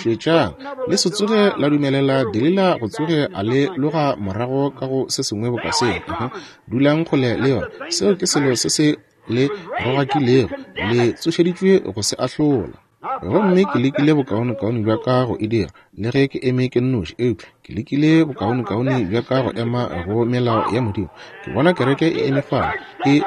Šetšang, le se tsoge la dumelela Delila go tsoge a le loga morago ka go se sengwe boka seo. Uh-huh. Dulang kgole le yona. Seo ke selo se se le rogakilego, le tsošeditšwe go se ahlola. Gomme ke lekile bokaonekaone bja ka go e dira, le ge ke eme ke nnoši, eupša ke lekile bokaonekaone bja ka go ema go melao ya Modimo. Ke bona kereke e eme fale, e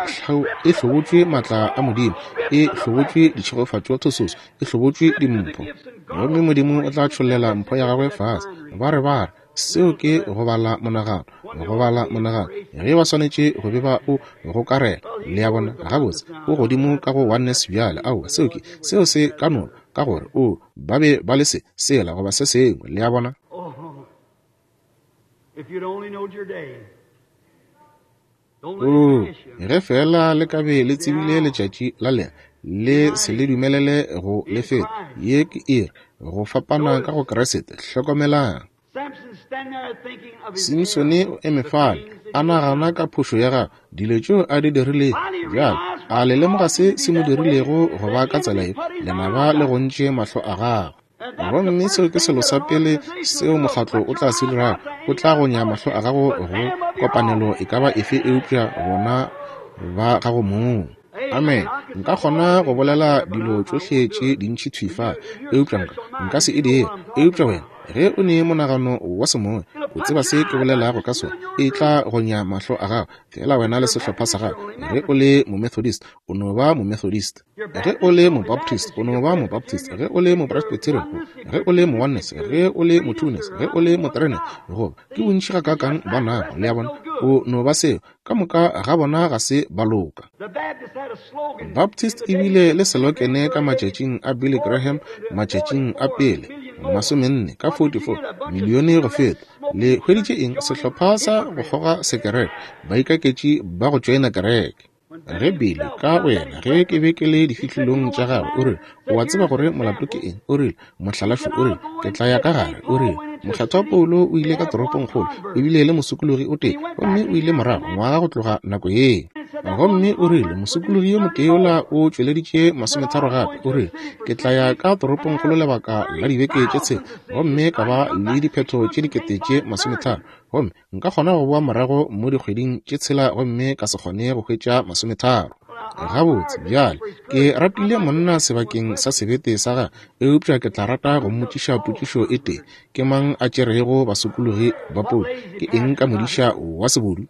e hlobotšwe matla a Modimo, e hlobotšwe ditšhegofatšo thososo, e hlobotšwe dimpho. Gomme Modimo o tla tšhollela mpho ya gagwe fase. Ba re ba re, seo ke go bala monagano, go bala monagano. Ge ba swanetše go be ba o gokarela, le a bona, gabotse, o godimo ka go oneness bjale. Aowa, seo ke, seo se ka no, ka gore o ba be ba le se, sela goba se sengwe, le a bona. O, ge fela le ka be le tsebile letšatši la lena, le se le dumelele go le feta. Ye ke iri go fapana ka go Kriste. Hlokomelang. Simsone o eme fale a nagana ka phošo ya gagwe, dilo tšeo a di dirilego. Bjale a le lemoga se se mo dirilego go ba ka tsela ye? Lenaba le gontše mahlo a gagwe. Gomme seo ke selo sa pele seo mokgatlo o tla se dirago, o tla gonya mahlo a gago go kopanelo e ka ba efe eupša bona ba gago mong. Amen. Nka kgona go bolela dilo tšohle tše dintši thwi fa, eupša nka nka se e dire. Eupša wena ge o ne monagano wa semoya, o tseba se ke bolelago ka sona, e tla gonya mahlo a gago. Fela wena le sehlopha sa gago. Ge o le Momethodist, o no ba Momethodist. Ge o le Mobaptist, o no ba Mobaptist. Ge o le Mopresbyterian, ge o le Mooneness, ge o le Motwoness, ge o le Motreness, goba ke bontši ga kakang ba nago, le a bona, o no ba seo. Ka moka ga bona ga se ba loka. Baptist e bile le selokene ka matšatšing a Billy Graham, matšatšing a pele masomenne ka forty-four milione go feta. Le hweditše eng? Sehlopha sa go kgoga sekereke, baikaketši ba go tšoena kereke. Ge Billy ka boyena, ge ke be ke le difihlolong tša gagwe, o rile, o a tseba gore molato ke eng? O rile, mohlalafi o rile, ke tla ya ka gare. O rile, mokgethwa Paulo o ile ka toropongkgolo, o bile le mosokologi o tee, gomme o ile morago ngwaga go tloga nako yeo. Gomme o rile, mosokologi yo motee yola o tšweleditše masometharo gape. O rile, ke tla ya ka toropongkgolo lebaka la dibeke tše tshela, gomme ka ba le diphetho tše dikete tše masometharo. Gomme nka kgona go boa morago mo dikgweding tše tshela gomme ka se kgone go hwetša masometharo. Gabotse, bjale, ke ratile monna sebakeng sa sebete sa gagwe, eupša ke tla rata go mmotšiša potšišo e tee. Ke mang a tšerego basokologi ba Paulo? Ke eng ka modiša wa sebodu?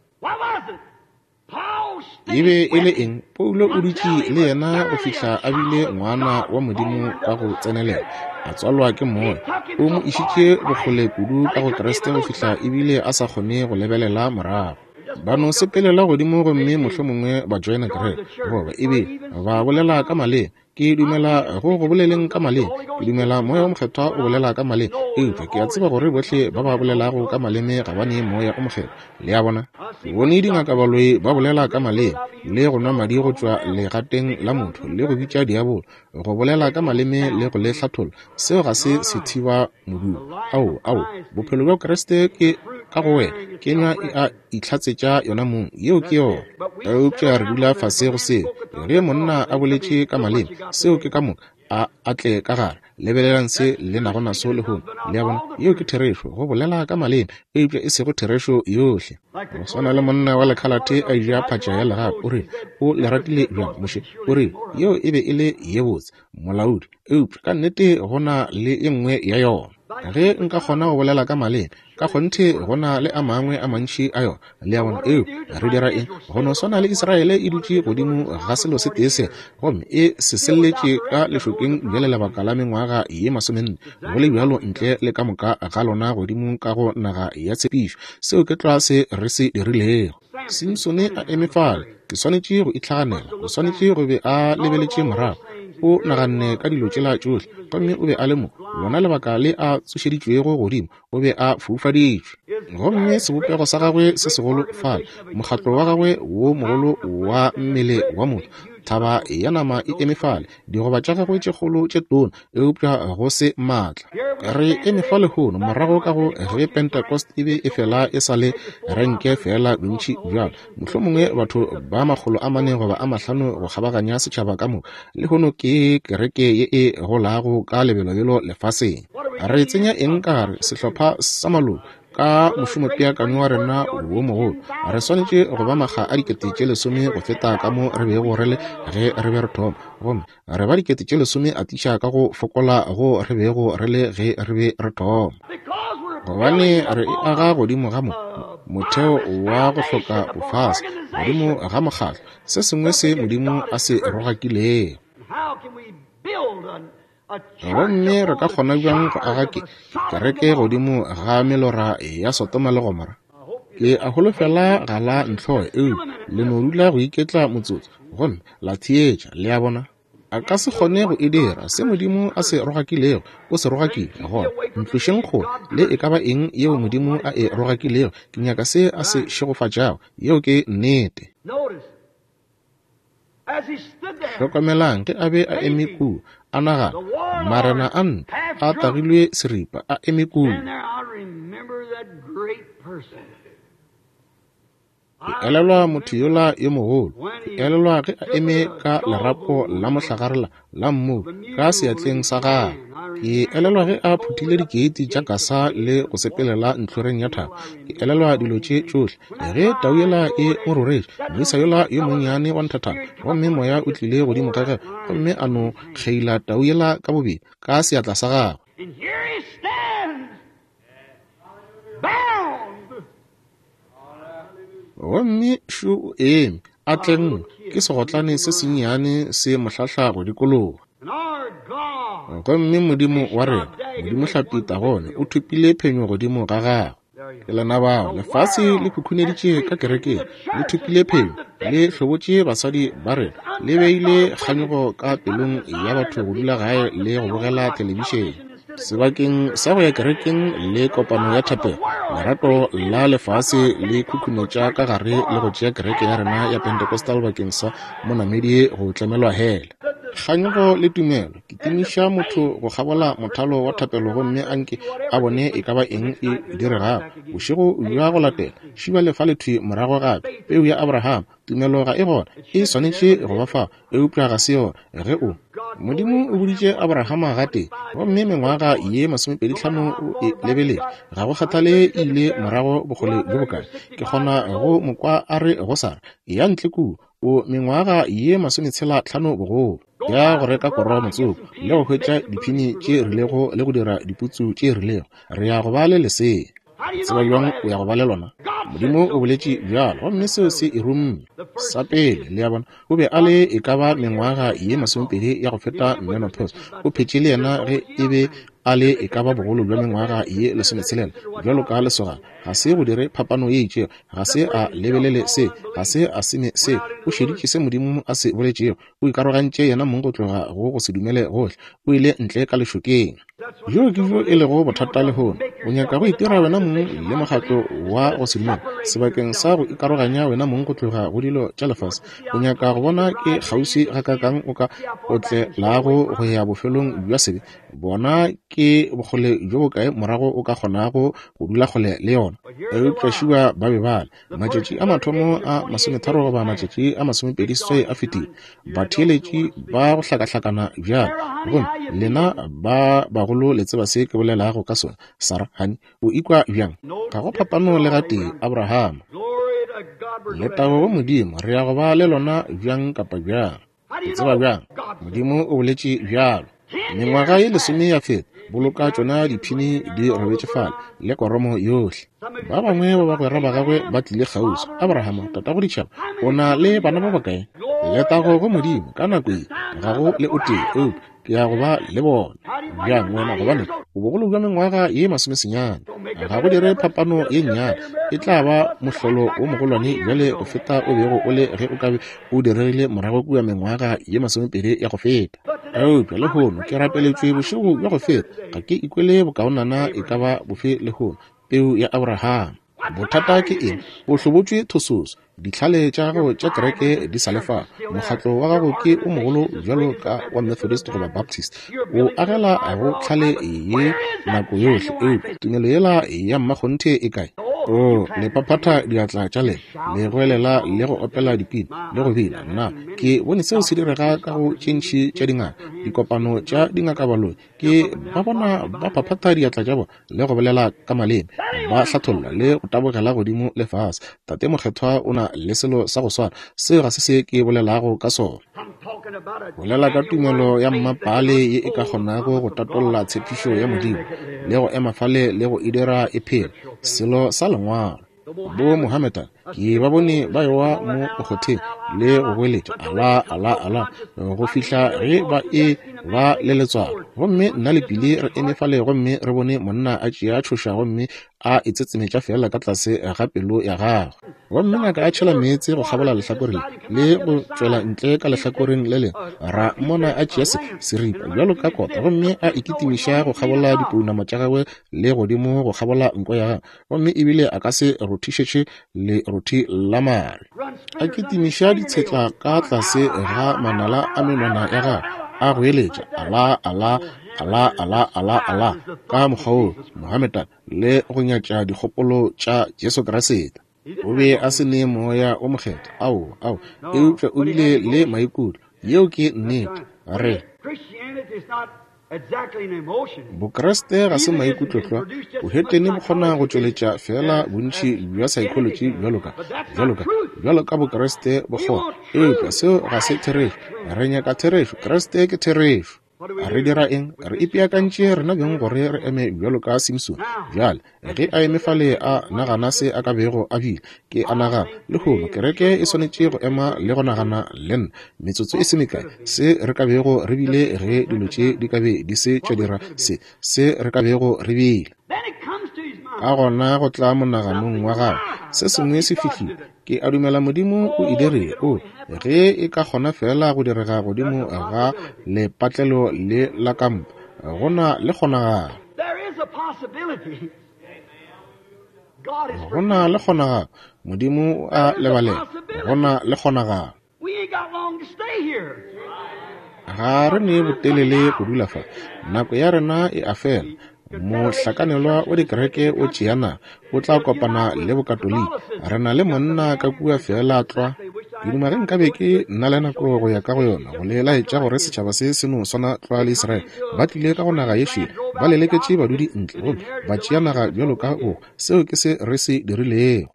E be e le eng? Paulo o dutše le yena go fihla a bile ngwana wa Modimo ka go tsenelela, a tswalwa ke Moya. O mo išitše bokgole kudu ka go Kriste go fihla ebile a sa kgone go lebelela morago. Ba no sepelela godimo gomme mohlomongwe ba joina kereke, goba ebile ba bolela ka maleme. Ke dumela go go boleleng ka maleme, ke dumela Moya o Mokgethwa o bolela ka maleme, eupša ke a tseba gore bohle ba ba bolelago ka maleme ga ba ne Moya o Mokgethwa. Le a bona? Ke bone dingakabaloi ba bolela ka maleme, le go nwa madi go tšwa legateng la motho, le go bitša diabolo, go bolela ka maleme le go le hlatholla. Seo ga se sethiba modumo. Ao, ao, bophelo bja Kriste ke ka go wena, kenywa e a itlhatsetša yona mong. Yeo ke yona. Eupša re dula fase go seo. Ge monna a boletše ka maleme, seo ke ka moka, a atle ka gare. Lebelelang se le nago naso lehono. Le a bona? Yeo ke therešo, go bolela ka maleme, eupša e sego therešo yohle. Go swana le monna wa lekhalate a ja phatša ya legapu, o rile, o le ratile bjang, Moshe? O rile, yeo e be e le ye botse, molaodi, eupša ka nnete go na le e nngwe ya yona. Ge nka kgona go bolela ka maleme, ka kgonthe go na le a mangwe a mantši a yona. Le a bona? Eo re dira eng? Go no swana le Israele e dutše godimo ga selo se tee se, gomme e se selletše ka lešokeng bjale lebaka la mengwaga ye masomenne, go le bjalo ntle le ka moka ga lona godimo ka go naga ya tshepišo. Seo ke tlwa se re se dirilego. Simsone a eme fale, ke swanetše go itlhaganela, o swanetše go be a lebeletše morago. O naganne ka dilo tšela tšohle, gomme o be a le mo. Lona lebaka le a tsošeditšwego godimo, o be a foufaditšwe. Gomme sebopego sa gagwe se segolo fale, mokgatlo wa gagwe wo mogolo wa mmele wa motho, thaba ya nama e eme fale, digoba tša gagwe tše kgolo tše tona, eupša go se maatla. Re eme fa lehono morago ka go ge Pentecost e be e fela e sa le renke fela bontši bjalo, mohlomongwe batho ba makgolo a mane goba a mahlano go kgabaganya setšhaba ka moka. Lehono ke kereke ye e golago ka lebelobelo lefaseng. Re tsenya eng ka gare? Sehlopha sa maloko ka mošomopeakanyo wa rena wo mogolo. Re swanetše go ba makga a dikete tše lesome go feta ka mo re bego re le ge re be re thoma, gomme re ba dikete tše lesome atiša ka go fokola go re bego re le ge re be re thoma. Gobane re e aga godimo ga mo motheo wa go hloka bofase, godimo ga mokgatlo, se sengwe se Modimo a se rogakilego. Gomme re ka kgona bjang go aga ke kereke godimo ga melora ya Sodoma le Gomora? Ke a holofela ga la ntlhoe, eupša le no dula go iketla motsotso gomme la theetša. Le a bona? A ka se kgone go e dira. Se Modimo a se rogakilego, o se rogakile. Gona ntlošeng kgole le e ka ba eng yeo Modimo a e rogakilego. Ke nyaka se a se šegofatšago. Yeo ke nnete. Hlokomelang ge a be a eme kua, a nagana, marena a ntwa a tagilwe seripa, a eme kua. Ke elelwa motho yola yo mogolo. Ke elelwa ge a eme ka lerapo la mohlagarela la mmu ka seatleng sa gagwe. Ke elelwa ge a phuthile dikeiti tša kasa le go sepelela ntlhoreng ya thaba. Ke elelwa dilo tše tšohle. Ge tau yela e mo roretše, moisa yola yo monnyane wa nthathana, gomme moya o tlile godimo ga gagwe, gomme a no kgeila tau yela ka bobedi ka seatla sa gagwe. Gomme šo o eme, a tlengwe ke segotlane se sennyane se mohlahla go dikologa. Gomme Modimo wa rena, Modimo hlapi Tagone, o thopile phenyo godimo ga gagwe. Ke lena bao, lefase le khukhuneditše ka kerekeng, le thopile phenyo, le hlobotše basadi ba rena, le beile kganyogo ka pelong ya batho go dula gae le go bogela thelebišene. Sebakeng sa go ya kerekeng le kopano ya thapelo, Lerato la lefase le khukhunetša ka gare le go tšea kereke ya rena ya Pentecostal bakeng sa monamedi go tlemelwa hele. Kganyogo le tumelo, ke timiša motho go kgabola mothalo wa thapelo gomme a nke a bone e ka ba eng e diregago. Bošego bja go latela, šiba lefa lethwi morago gape, peu ya Abraham, tumelo ga e gona, e swanetše go ba fao, eupša ga se yona. Ge o Modimo o boditše Abrahama gatee, gomme mengwaga ye masomepedi hlano o e lebeletše, ga go kgathale e ile morago bokgole bjo bokae. Ke kgona go mo kwa a re go Sara, ya ntle kua, o mengwaga ye masometshela hlano bogolo, ya go reka koro motsoko le go hwetša diphini tše rilego le go dira diputsu tše rilego, re ya go ba le lesea. Tseba bjang o ya go ba le lona? Modimo o boletše bjalo, gomme seo se e rumme. Sa pele, le a bona, o be a le e ka ba mengwaga ye masomepedi ya go feta menopause. O phetše le yena ge e be a le e ka ba bogolo bja mengwaga ye lesometshelela, bjalo ka lesogana. Ga se go dire phapano ye itšego, ga se a lebelele se, ga se a seme se. O šeditše se Modimo a se boletšego, o ikarogantše yena mong go tloga go go se dumele gohle, o ile ntle ka lešokeng. Bjo ke bjo e lego bothata lehono. O nyaka go itira wena mong le mokgatlo wa go se dumele sebakeng sa go ikaroganya wena mong go tloga go dilo tša lefase. O nyaka go bona ke kgauswi gakaakang o ka otlelago go ya bofelong bja sebe. Bona ke bokgole bjo bokae morago o ka kgonago go dula kgole le yona. Eupša šiba ba be bale matšatši a mathomo a masometharo goba matšatši a masomepedi seswai a fetile, batheeletši ba go hlakahlakana bjalo. Gomme lena ba bagolo le tseba se ke bolelago ka sona. Sarah, honey, o ikwa bjang? Ga go phapano le gatee, Abraham. Letago go Modimo, re ya go ba le lona bjang kapa bjang. O tseba bjang? Modimo o boletše bjalo. Mengwaga ye lesome ya feta, boloka tšona diphini di robetše fale le koromo yohle. Ba bangwe ba bagwera ba gagwe ba tlile kgauswi. Abrahama, tatago ditšhaba, o na le bana ba bakae? Letago go Modimo, ka nako ye ga go le o tee, eupša ke ya go ba le bona. Bjang wena? Gobane o bogolo bja mengwaga ye masomesenyane. Ga go dire phapano ye nnyane, e tla ba mohlolo o mogolwane bjale go feta o bego o le ge o ka be o diregile morago kua mengwaga ye masomepedi ya go feta. Eupša lehono ke rapeletšwe bošego bja go feta, ga ke ikwele bokaonana e ka ba bofe lehono. Peu ya Abraham. Bothata ke eng? O hlobotšwe thososo. Ditlhale tša gago tša kereke di sa le fa. Mokgatlo wa gago ke o mogolo bjalo ka wa Methodist goba Baptist. O agela go tlhale ye nako yohle, eupša tumelo yela ya mmakgonthe e kae? O le phaphatha diatla tša lena, le goelela le go opela dipina le go bina. Nna ke bone seo se direga ka go tše ntši tša dingaka, dikopano tša dingakabaloi. Ke ba bona ba phaphatha diatla tša bona le go bolela ka maleme, ba hlatholla le go tabogela godimo le fase. Tate Mokgethwa o na le selo sa go swana. Seo ga se se ke bolelago ka sona. Bolela ka tumelo ya mmapale ye e ka kgonago go tatolla tshepišo ya Modimo le go ema fale le go e dira e phele, selo sa lengwalo. Bo Mohammedan ke ba bone ba ewa mo mokgotheng le go goeletša Allah, Allah, Allah go fihla ge ba e ba le letswalo. Gomme nna le Pili re eme fale gomme re bone monna a tšea tšhoša gomme a itsetsemetša fela ka tlase ga pelo ya gagwe. Gomme ngaka a tšhela meetse go kgabola lehlakore le le go tšwela ntle ka lehlakoreng le lengwe. Ra mmona a tšea se seripa bjalo ka kota gomme a ikitimiša go kgabola dipounama tša gagwe le godimo go kgabola nko ya gagwe, gomme ebile a ka se rothišetše lerothi la mare. A kitimiša ditshetla ka tlase ga manala a menwana ya gagwe, a goeletša Allah, Allah, Allah, Allah, Allah, Allah ka mokgwa wo Mohammedan le go nyatša dikgopolo tša Jesu Kriste. O be a se ne moya o mokgethwa, ao, ao, eupša o bile le maikutlo. Yeo ke nnete. Re Bokreste ga se maikutlotlwa. Bohetene bo kgona go tšweletša fela bontši bja psychology bjalo ka bjalo ka bjalo ka Bokreste bo kgona, eupša seo ga se therešo. Re nyaka therešo. Kreste ke therešo. Re dira eng? Re ipeakantše rena beng gore re eme bjalo ka Simpson. Bjale ge a eme fale a nagana se a ka bego a bile, ke a nagana lehono kereke e swanetše go ema le go nagana le nna metsotso e se mekae se re ka bego re bile ge dilo tše di ka be di se tša dira se se re ka bego re bile. Ka gona go tla monaganong wa gagwe se sengwe se fihlile. Ke a dumela Modimo o e dirile. O ge e ka kgona fela go direga godimo ga lepatlelo le la kampa, go na le kgonagalo. Go na le kgonagalo, Modimo o a lebalela. Go na le kgonagalo. Ga re ne botelele go dula fa. Nako ya rena e a fela. Mohlakanelwa wa dikereke o tšea naga, o tla kopana le Bokatoliki. Re na le monna ka kua feela tlwa. Ke duma ge nkabe ke nna le nako go ya ka go yona go le laetša gore setšhaba se se no swana tlwa le Israele. Ba tlile ka go naga ye šele, ba leleketše badudi ntle gomme ba tšea naga bjalo ka bohwa. Seo ke se re se dirilego.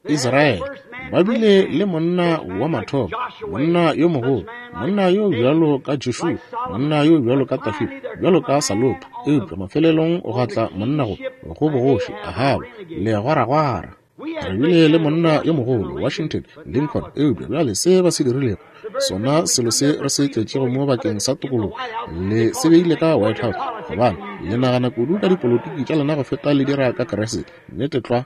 Israele ba bile le monna wa mathomo, monna yo mogolo, monna yo bjalo ka Joshua, monna yo bjalo ka Dafida, bjalo ka Salomo. Eupša mafelelong go tla monna go go bogoši Ahaba legwaragwara. Re bile le monna yo mogolo Washington, Lincoln. Eupša bjale se ba se dirilego, sona selo se re se tletšego mo bakeng sa tokologo, le se beile ka White House, gobane le nagana kudu ka dipolotiki tša lena go feta le dira ka Kriste. Nnete tlwa.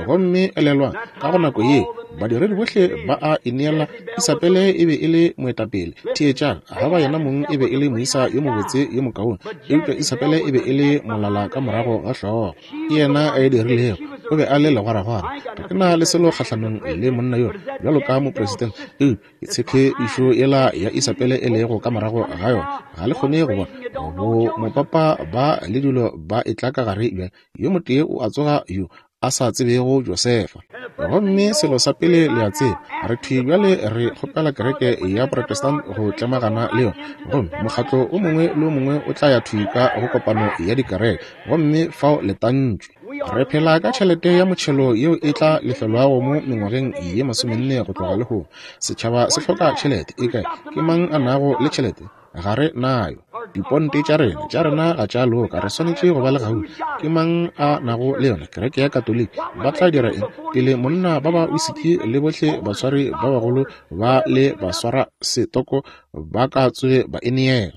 Gomme elelwang, ka go nako ye badiredi bohle ba a ineela. Isabele e be e le moetapele. Theetšang, Ahaba yena mong e be e le moisa yo mobotse yo mokaone, eupša Isabele e be e le molala ka morago ga hlogo. Ke yena a e dirilego. O be a le legwaragwara. Ga ke na le selo kgahlanong le monna yo bjalo ka mopresidente, eupša ke tshepišo yela ya Isabele e lego ka morago ga yona. Ga le kgone go bona bo mopapa ba le dilo ba etla ka gare bjale. Yo motee o a tsoga yo a sa tsebego Josefa. Gomme selo sa pele le a tseba, re thwi bjale re kgopela kereke ya Protestant go tlemagana le yona, gomme mokgatlo o mongwe le o mongwe o tla ya thwi ka go kopano ya dikereke, gomme fao le tantšwe. Re phela ka tšhelete ya motšhelo yeo e tla lefelwago mo mengwageng ye masomenne go tloga lehono. Setšhaba se hloka tšhelete. E kae? Ke mang a nago le tšhelete? Ga re nayo. Diponte tša rena tša rena ga tša loka. Re swanetše go ba le gauta. Ke mang a nago le yona? Kereke ya Katoliki. Ba tla dira eng? Pele monna ba ba wisiki le bohle baswari ba bagolo ba le baswara setoko ba ka tsoge ba e neela.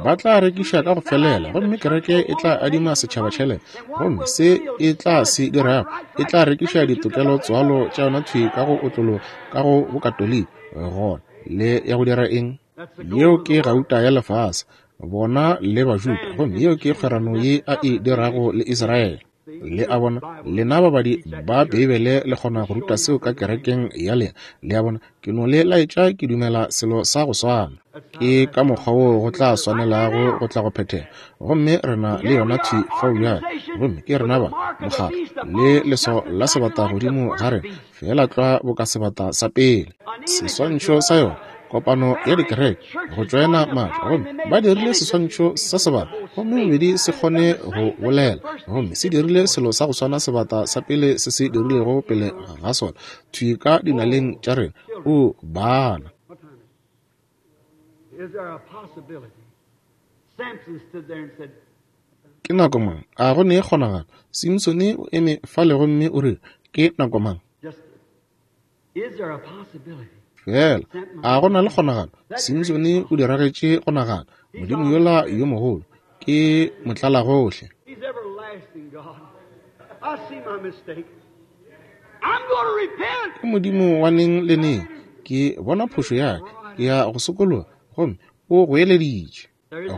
Ba tla rekiša ka go felela, gomme kereke e tla adima setšhaba tšhelete. Gomme se e tla se dirago, e tla rekiša ditokelo tswalo tša yona thwi ka go otlolo ka go Bokatoliki. Gona le ya go dira eng? Yeo ke gauta ya lefase, bona le Bajuda, gomme yeo ke kgwerano ye a e dirago le Israele. Le a bona, lena babadi ba Beibele le kgona go ruta seo ka kerekeng ya lena. Le a bona, ke no le laetša ke dumela selo sa go swana. Ke ka mokgwa woo go tla swanelago go tla go phethega. Gomme re na le yona thwi fao bjale. Gomme ke rena ba mokgatlo le leswao la sebata godimo ga rena, feela tlwa boka sebata sa pele. Seswantšho sa yona, kopano ya dikereke, go tšoena matla, gomme ba dirile seswantšho sa sebata, gomme bobedi se kgone go bolela, gomme se dirile selo sa go swana sebata sa pele se se dirilego pele ga sona, thwi ka dinaleng tša rena. O bana. Ke nako mang? A go ne kgonagalo? Simsone o eme fale gomme o rile, ke nako mang? Fela a go na le kgonagalo? Simsone o diragetše go nagana. Modimo yola yo mogolo ke motlalagohle. Ke Modimo wa neng le neng. Ke bona phošo ya ka, ke ya go sokologa, gomme o goeleditše.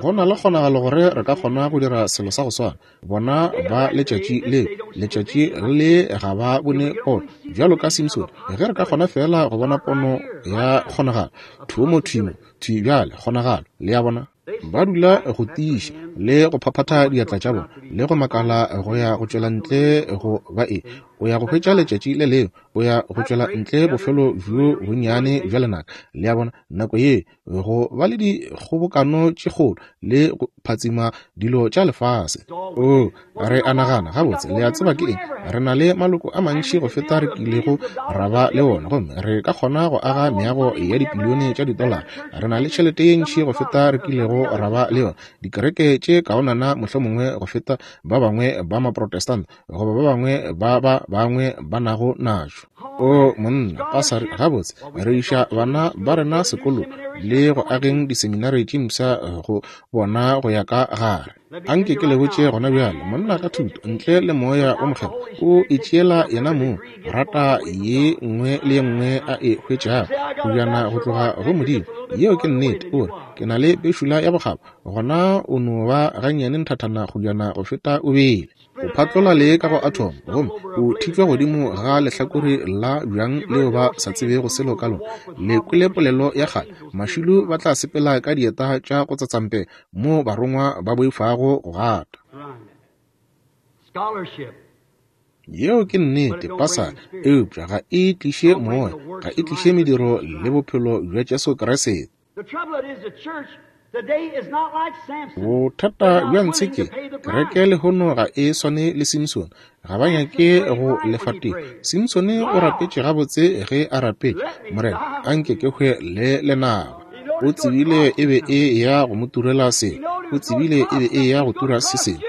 Go na le kgonagalo gore re ka kgona go dira selo sa go swana. Bona ba letšatši le letšatši le ga ba bone pono bjalo ka Simsone. Ge re ka kgona fela go bona pono ya kgonagalo, thumo thwimo thwi bjale kgonagalo. Le a bona, ba dula go tiiša le go phaphatha diatla tša bona le go makala go ya go tšwela ntle go ba e. O ya go hwetša letšatši le lengwe, o ya go tšwela ntle bofelo bjo bonnyane bja lenaka. Le a bona, nako ye go ba le dikgobokano tše kgolo le go phatsima dilo tša lefase. O re a nagana gabotse, le a tseba ke eng? Re na le maloko a mantši go feta re kilego ra ba le ona, gomme re ka kgona go aga meago ya dipilione tša ditolara. Re na le tšhelete ye ntši go feta re kilego ra ba le yona, dikereke tše kaonana mohlomongwe go feta ba bangwe ba Maprotestant goba ba bangwe ba ba bangwe ba nago najo. O monna, pasari, gabotse, re iša bana ba rena sekolo le go ageng diseminari tše mpsha go bona go ya ka gare. Anke ke le botše gona bjale, monna ka thuto ntle le moya o mokgethwa o itšeela yena mong rata ye nngwe le ye nngwe a e hwetšago kujana go tloga go Modimo. Yeo ke nnete. O re, ke na le pešula ya bokgabo, gona o no ba gannyane nthathana kgojana go feta o bele. O phatlola le ka go atom gomme o thitšwa godimo ga lehlakore la bjang leo ba sa tsebego selo ka lona. Le kwele polelo ya kgale, mašilo ba tla sepela ka dieta tša go tsatsampe mo barongwa ba boifago go gata. Yeo ke nnete, pasari, eupša ga e tliše moya, ga e tliše mediro le bophelo bja Jesu Kriste. Bothata bja ntshe ke kereke lehono ga e swane le Simpson. Ga ba nyake go lefa tefo. Simpson o rapetše gabotse ge a rapetše, Morena, anke ke hwe le lenaba. O tsebile e be e ya go mo turela se, o tsebile e be e ya go tura se sengwe,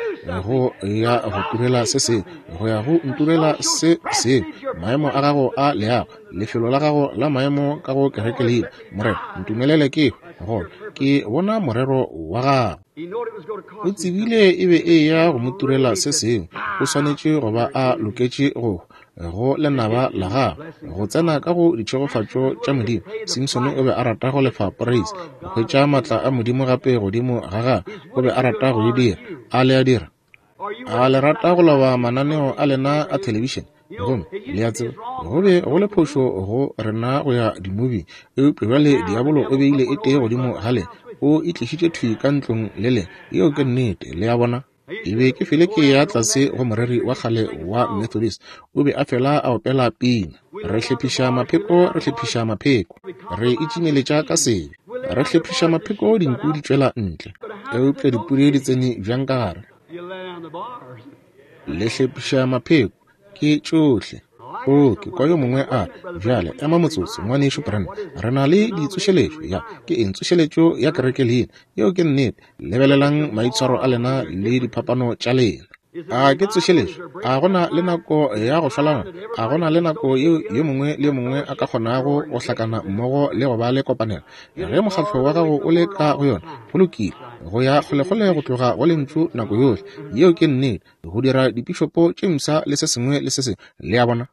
go ya go turela se sengwe, go ya go nturela se sengwe. Maemo a gago a leago, lefelo la gago la maemo ka go kereke leina, Morena, ntumelele ke hwe, gona ke bona morero wa gago. O tsebile e be e ya go mo turela se sengwe. O swanetše go ba a loketše go go lenaba la gagwe, go tsena ka go ditšhegofatšo tša Modimo. Simpson o be a rata go lefa praise, go hwetša maatla a Modimo gape godimo ga gagwe. O be a rata go e dira. A le a dira? A le rata go loba mananeo a lena a thelebišene? Gomme le a tseba, go be go le phošo go rena go ya dimoving, eupša bjale diabolo o beile e tee godimo ga lena, o e tlišitše thwi ka ntlong le lena. Yeo ke nnete. Le a bona? E be ke fele ke ya tlase go moreri wa kgale wa Methodist. O be a fela a opela pina. Re hlephiša mapheko, re hlephiša mapheko, re itšimeletša ka sebe, re hlephiša mapheko, dinku di tšwela ntle. Eupša dipudi di tsene bjang ka gare? Le hlephiša mapheko, ke tšohle. O, ke kwa yo mongwe a re, bjale ema motsotso, ngwanešu Branham, re na le ditsošeletšo. Ya, ke eng tsošeletšo ya kereke leina? Yeo ke nnete. Lebelelang maitshwaro a lena le diphapano tša lena. A ke tsošeletšo? A gona le nako ya go šwalana? A gona le nako yeo yo mongwe le yo mongwe a ka kgonago go hlakana mmogo le go ba le kopanelo? Ge mokgatlo wa gago o le ka go yona, go lokile, go ya kgolekgole go tloga go lentšu nako yohle. Yeo ke nnete. Go dira dipišopo tše mpsha le se sengwe le se sengwe. Le a bona?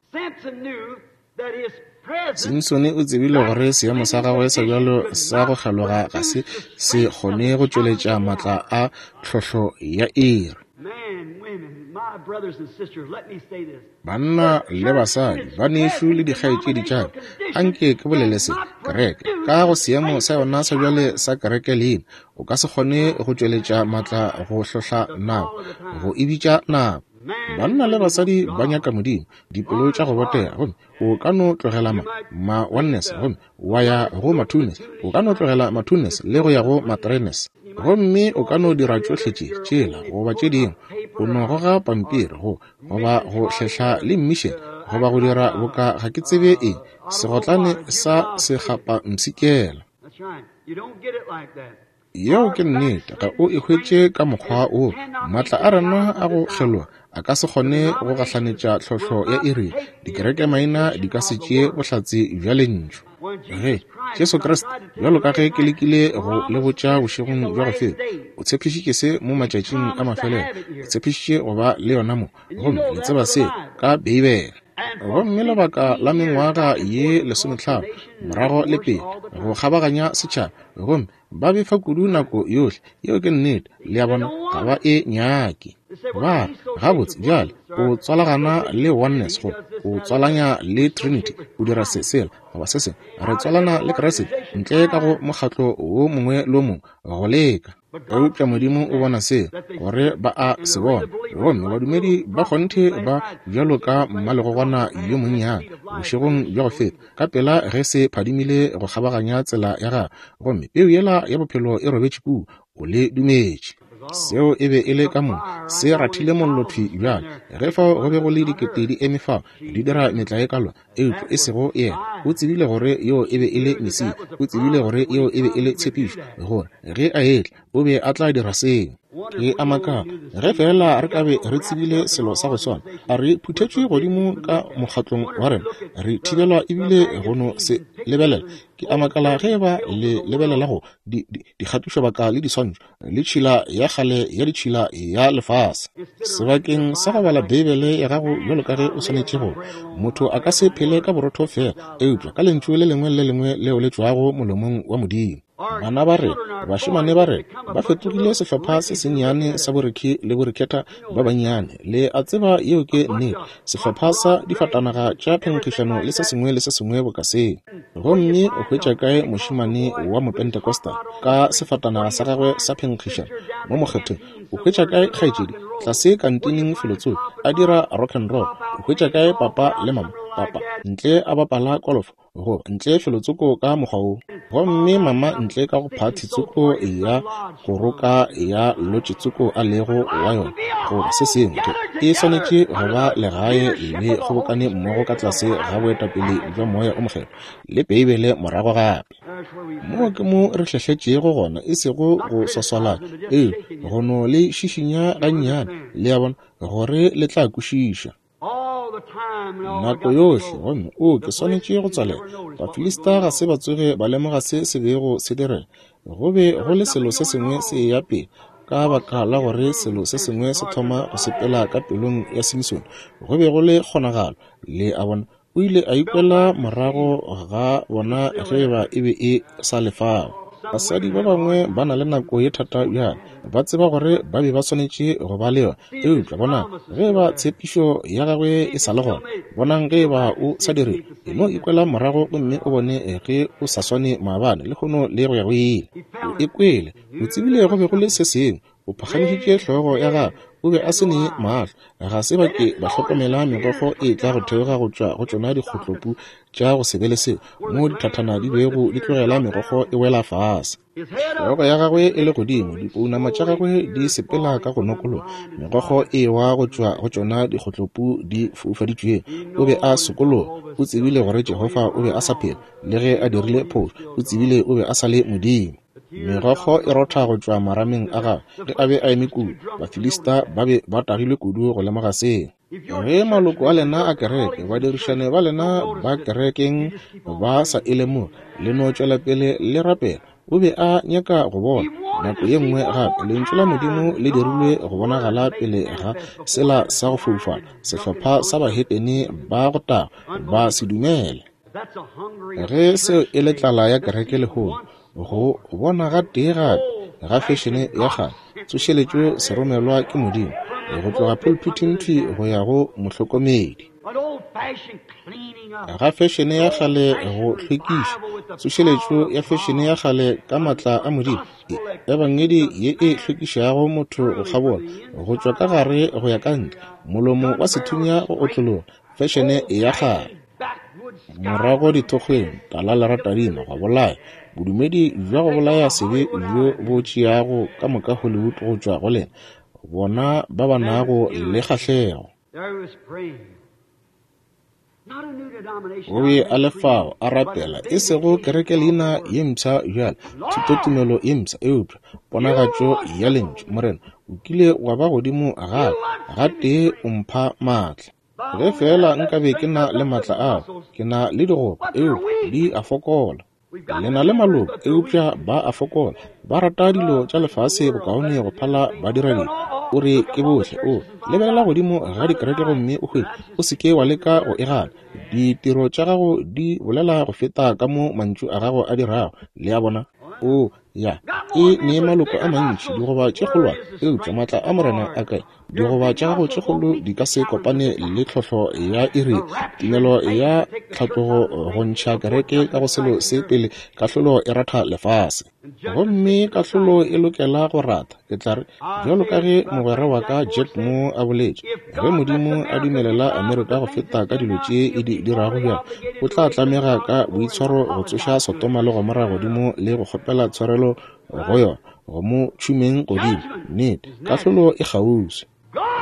Simpson o tsebile gore seemo sa gagwe sa bjalo sa go kgeloga ga se se kgone go tšweletša maatla a tlhohlo ya iri. Banna le basadi, banešu le dikgaetšedi tša ka, anke ke bolele se, kereke ka go seemo sa yona sa bjale sa kereke leina, o ka se kgone go tšweletša maatla go hlohla nako, go e bitša nako. Banna le basadi ba nyaka Modimo, dipelo tša go botega, gomme o ka no tlogela ma, ma oneness gomme wa ya go ma twoness, o ka no tlogela ma twoness le go ya go ma threeness, gomme o ka no dira tšohle tše tšela goba tše dingwe. O no goga pampiri go goba go hlehla le mmišene goba go dira boka ga ke tsebe eng, segotlane sa sekgapa mpshikela. Yeo ke nnete. Ga o e hwetše ka mokgwa wo. Maatla a rena a go kgeloga a ka se kgone go gahlanetša tlhohlo ya iri. Dikereke maina di ka se tšee bohlatse bja lentšu. Ge Jesu Kriste, bjalo ka ge ke lekile go le botša bošegong bja go feta, o tshepišitše se mo matšatšing a mafelelo, o tshepišitše go ba le yona mo, gomme le tseba se ka Beibele. Gomme lebaka la mengwaga ye lesometlhano morago le pele go kgabaganya setšhaba, gomme ba befa kudu nako yohle. Yeo ke nnete. Le a bona, ga ba e nyake. Ba re, gabotse bjale o tswalagana le oneness, go o tswalanya le trinity, o dira se sela goba se sengwe. Re tswalana le Kriste ntle ka go mokgatlo wo mongwe le wo mongwe go leka. Eupša Modimo o bona seo, gore ba a se bona. Gomme badumedi ba kgonthe ba bjalo ka mmalegogwana yo monnyane bošegong bja go feta, ka pela ge se phadimile go kgabaganya tsela ya gagwe, gomme peu yela ya bophelo e robetše kua, o le dumetše. Seo e be e le ka moka, se rathile mollo thwi bjale. Ge fao go be go le dikete di eme fao, di dira metlae ka lona, eupša e sego yena. O tsebile gore yoo e be e le Mesia. O tsebile gore yeo e be e le tshepišo, gore ge a etla, o be a tla dira seo. Ke a makala, ge feela re ka be re tsebile selo sa go swana. A re phuthetšwe godimo ka mokgatlong wa rena, re thibelwa ebile go no se lebelela. Ke a makala ge ba le lebelela go di, di, dikgatišobaka le diswantšho le tšhila ya kgale ya ditšhila ya lefase. Sebakeng sa go bala Beibele ya gago bjalo ka ge o swanetše go, motho a ka se phele ka borotho fela, eupša ka lentšu le lengwe le lengwe leo le tšwago molomong wa Modimo. Bana ba rena, bašemane ba rena, ba fetogile sehlopha se sennyane sa borekhi le borekhetha ba bannyane. Le a tseba yeo ke nnete. Sehlopha sa difatanaga tša phenkgišano le se sengwe le se sengwe boka seo. Gomme o hwetša kae mošemane wa Mopentecostal ka sefatanaga sa gagwe sa phenkgišano mo mokgetheng? O hwetša kae kgaetšedi tlase kantineng felotsoko a dira rock and roll? O hwetša kae papa le mama, papa ntle a bapala kolofo, go ntle felotsoko ka mokgwa wo, gomme mama ntle ka go phathi tsoko ya go roka ya lotše tsoko a lego wa yona, goba se sengwe? E swanetše go ba legae le kgobokane mmogo ka tlase ga boetapele bja Moya o Mokgethwa le Beibele morago gape. Moo ke mo re hlehletšego gona, e sego go swaswalana, ee, go no le šišinya gannyane, le a bona, gore le tla kwešiša. Nako yohle, gomme o ke swanetše go tswalela. Bafilista ga se ba tsoge ba lemoga se se bego se direga. Go be go le selo se sengwe se eya pele, ka baka la gore selo se sengwe se thoma go sepela ka pelong ya Simsone. Go be go le kgonagalo, le a bona. O ile a ikwela morago ga bona ge ba e be e sa le fao. Basadi ba bangwe ba na le nako ye thata bjale, ba tseba gore ba be ba swanetše go ba le yona, eupša bonang ge ba tshepišo ya gagwe e sa le gona. Bonang ge ba o sa dire, e no ikwela morago gomme o bone ge o sa swane maabane lehono le go ya go ile. O ikwele, o tsebile go be go le se sengwe. O phagamišitše hlogo ya gagwe, o be a se ne mahlo. Ga se ba ke ba hlokomela megokgo e tla go theoga go tšwa go tšona dikgotlopu tša go se be le seo, mo dithathana di bego di tlogela megokgo e wela fase. Hlogo ya gagwe e le godimo, dipounama tša gagwe di sepela ka go nokologa, megokgo e wa go tšwa go tšona dikgotlopu di foufaditšwego. O be a sokologa, o tsebile gore Jehofa o be a sa phela, le ge a dirile phošo, o tsebile o be a sa le Modimo. Megokgo e rotha go tšwa marameng a gagwe ge a be a eme kudu. Bafilista ba be ba tagilwe kudu go lemoga seo. Ge maloko a lena a kereke, badirišane ba lena ba kerekeng ba sa e lemoge, le no tšwela pele le rapela. O be a nyaka go bona nako ye nngwe gape lentšu la Modimo le dirilwe go bonagala pele ga sela sa go foufala, sehlopha sa bahetene ba go taga ba se dumele. Ge seo e le tlala ya kereke lehono, go bona ga tee gape ga fešene ya kgale, tsošeletšo se romelwa ke Modimo go tloga pulpiting thwi go ya go mohlokomedi. Ga fešene ya kgale go hlwekiša, tsošeletšo ya fešene ya kgale ka maatla a Modimo, ebangedi ye e hlwekišago motho go kgabola go tšwa ka gare go ya ka ntle, molomo wa sethunya go otlologa, fešene ya kgale. Morago dithokgweng, tala leratadima go bolaya, bodumedi bja go bolaya sebe bjo bo tšeago ka moka Hollywood go tšwa go lena, bona ba ba nago le kgahlego. O be a le fao a rapela, e sego kerekeleina ye mpsha bjale, thutotumelo ye mpsha, eupša ponagatšo ya lentšu. Morena, o kile wa ba godimo gape, gatee o mpha maatla. Ge feela nkabe ke na le maatla ao, ke na le digoba, eupša di a fokola. Le na le maloko, eupša ba a fokola. Ba rata dilo tša lefase bokaone go phala ba dira dilo. O re ke bohle. O lebelela godimo ga dikereke gomme o hwetše, o se ke wa leka go e gana. Ditiro tša gago di bolela go feta ka mo mantšu a gago a dirago. Le a bona? O ya e ne maloko a mantši, digoba tše kgolwane, eupša maatla a Morena a kae? Digoba tša gago tše kgolo di ka se kopane le tlhohlo ya iri, tumelo ya tlhatlogo go ntšha kereke ka go selo se pele kahlolo e ratha lefase. Gomme kahlolo e lokela go ratha. Ke tla re, bjalo ka ge mogwera wa ka Jack Moore a boletše, ge Modimo a dumelela Amerika go feta ka dilo tše e di dirago bjalo, o tla tlamega ka boitshwaro go tsoša Sodoma le Gomora godimo le go kgopela tshwarelo go yona. go mo tšhumeng godimo. Nnete, kahlolo e kgauswi.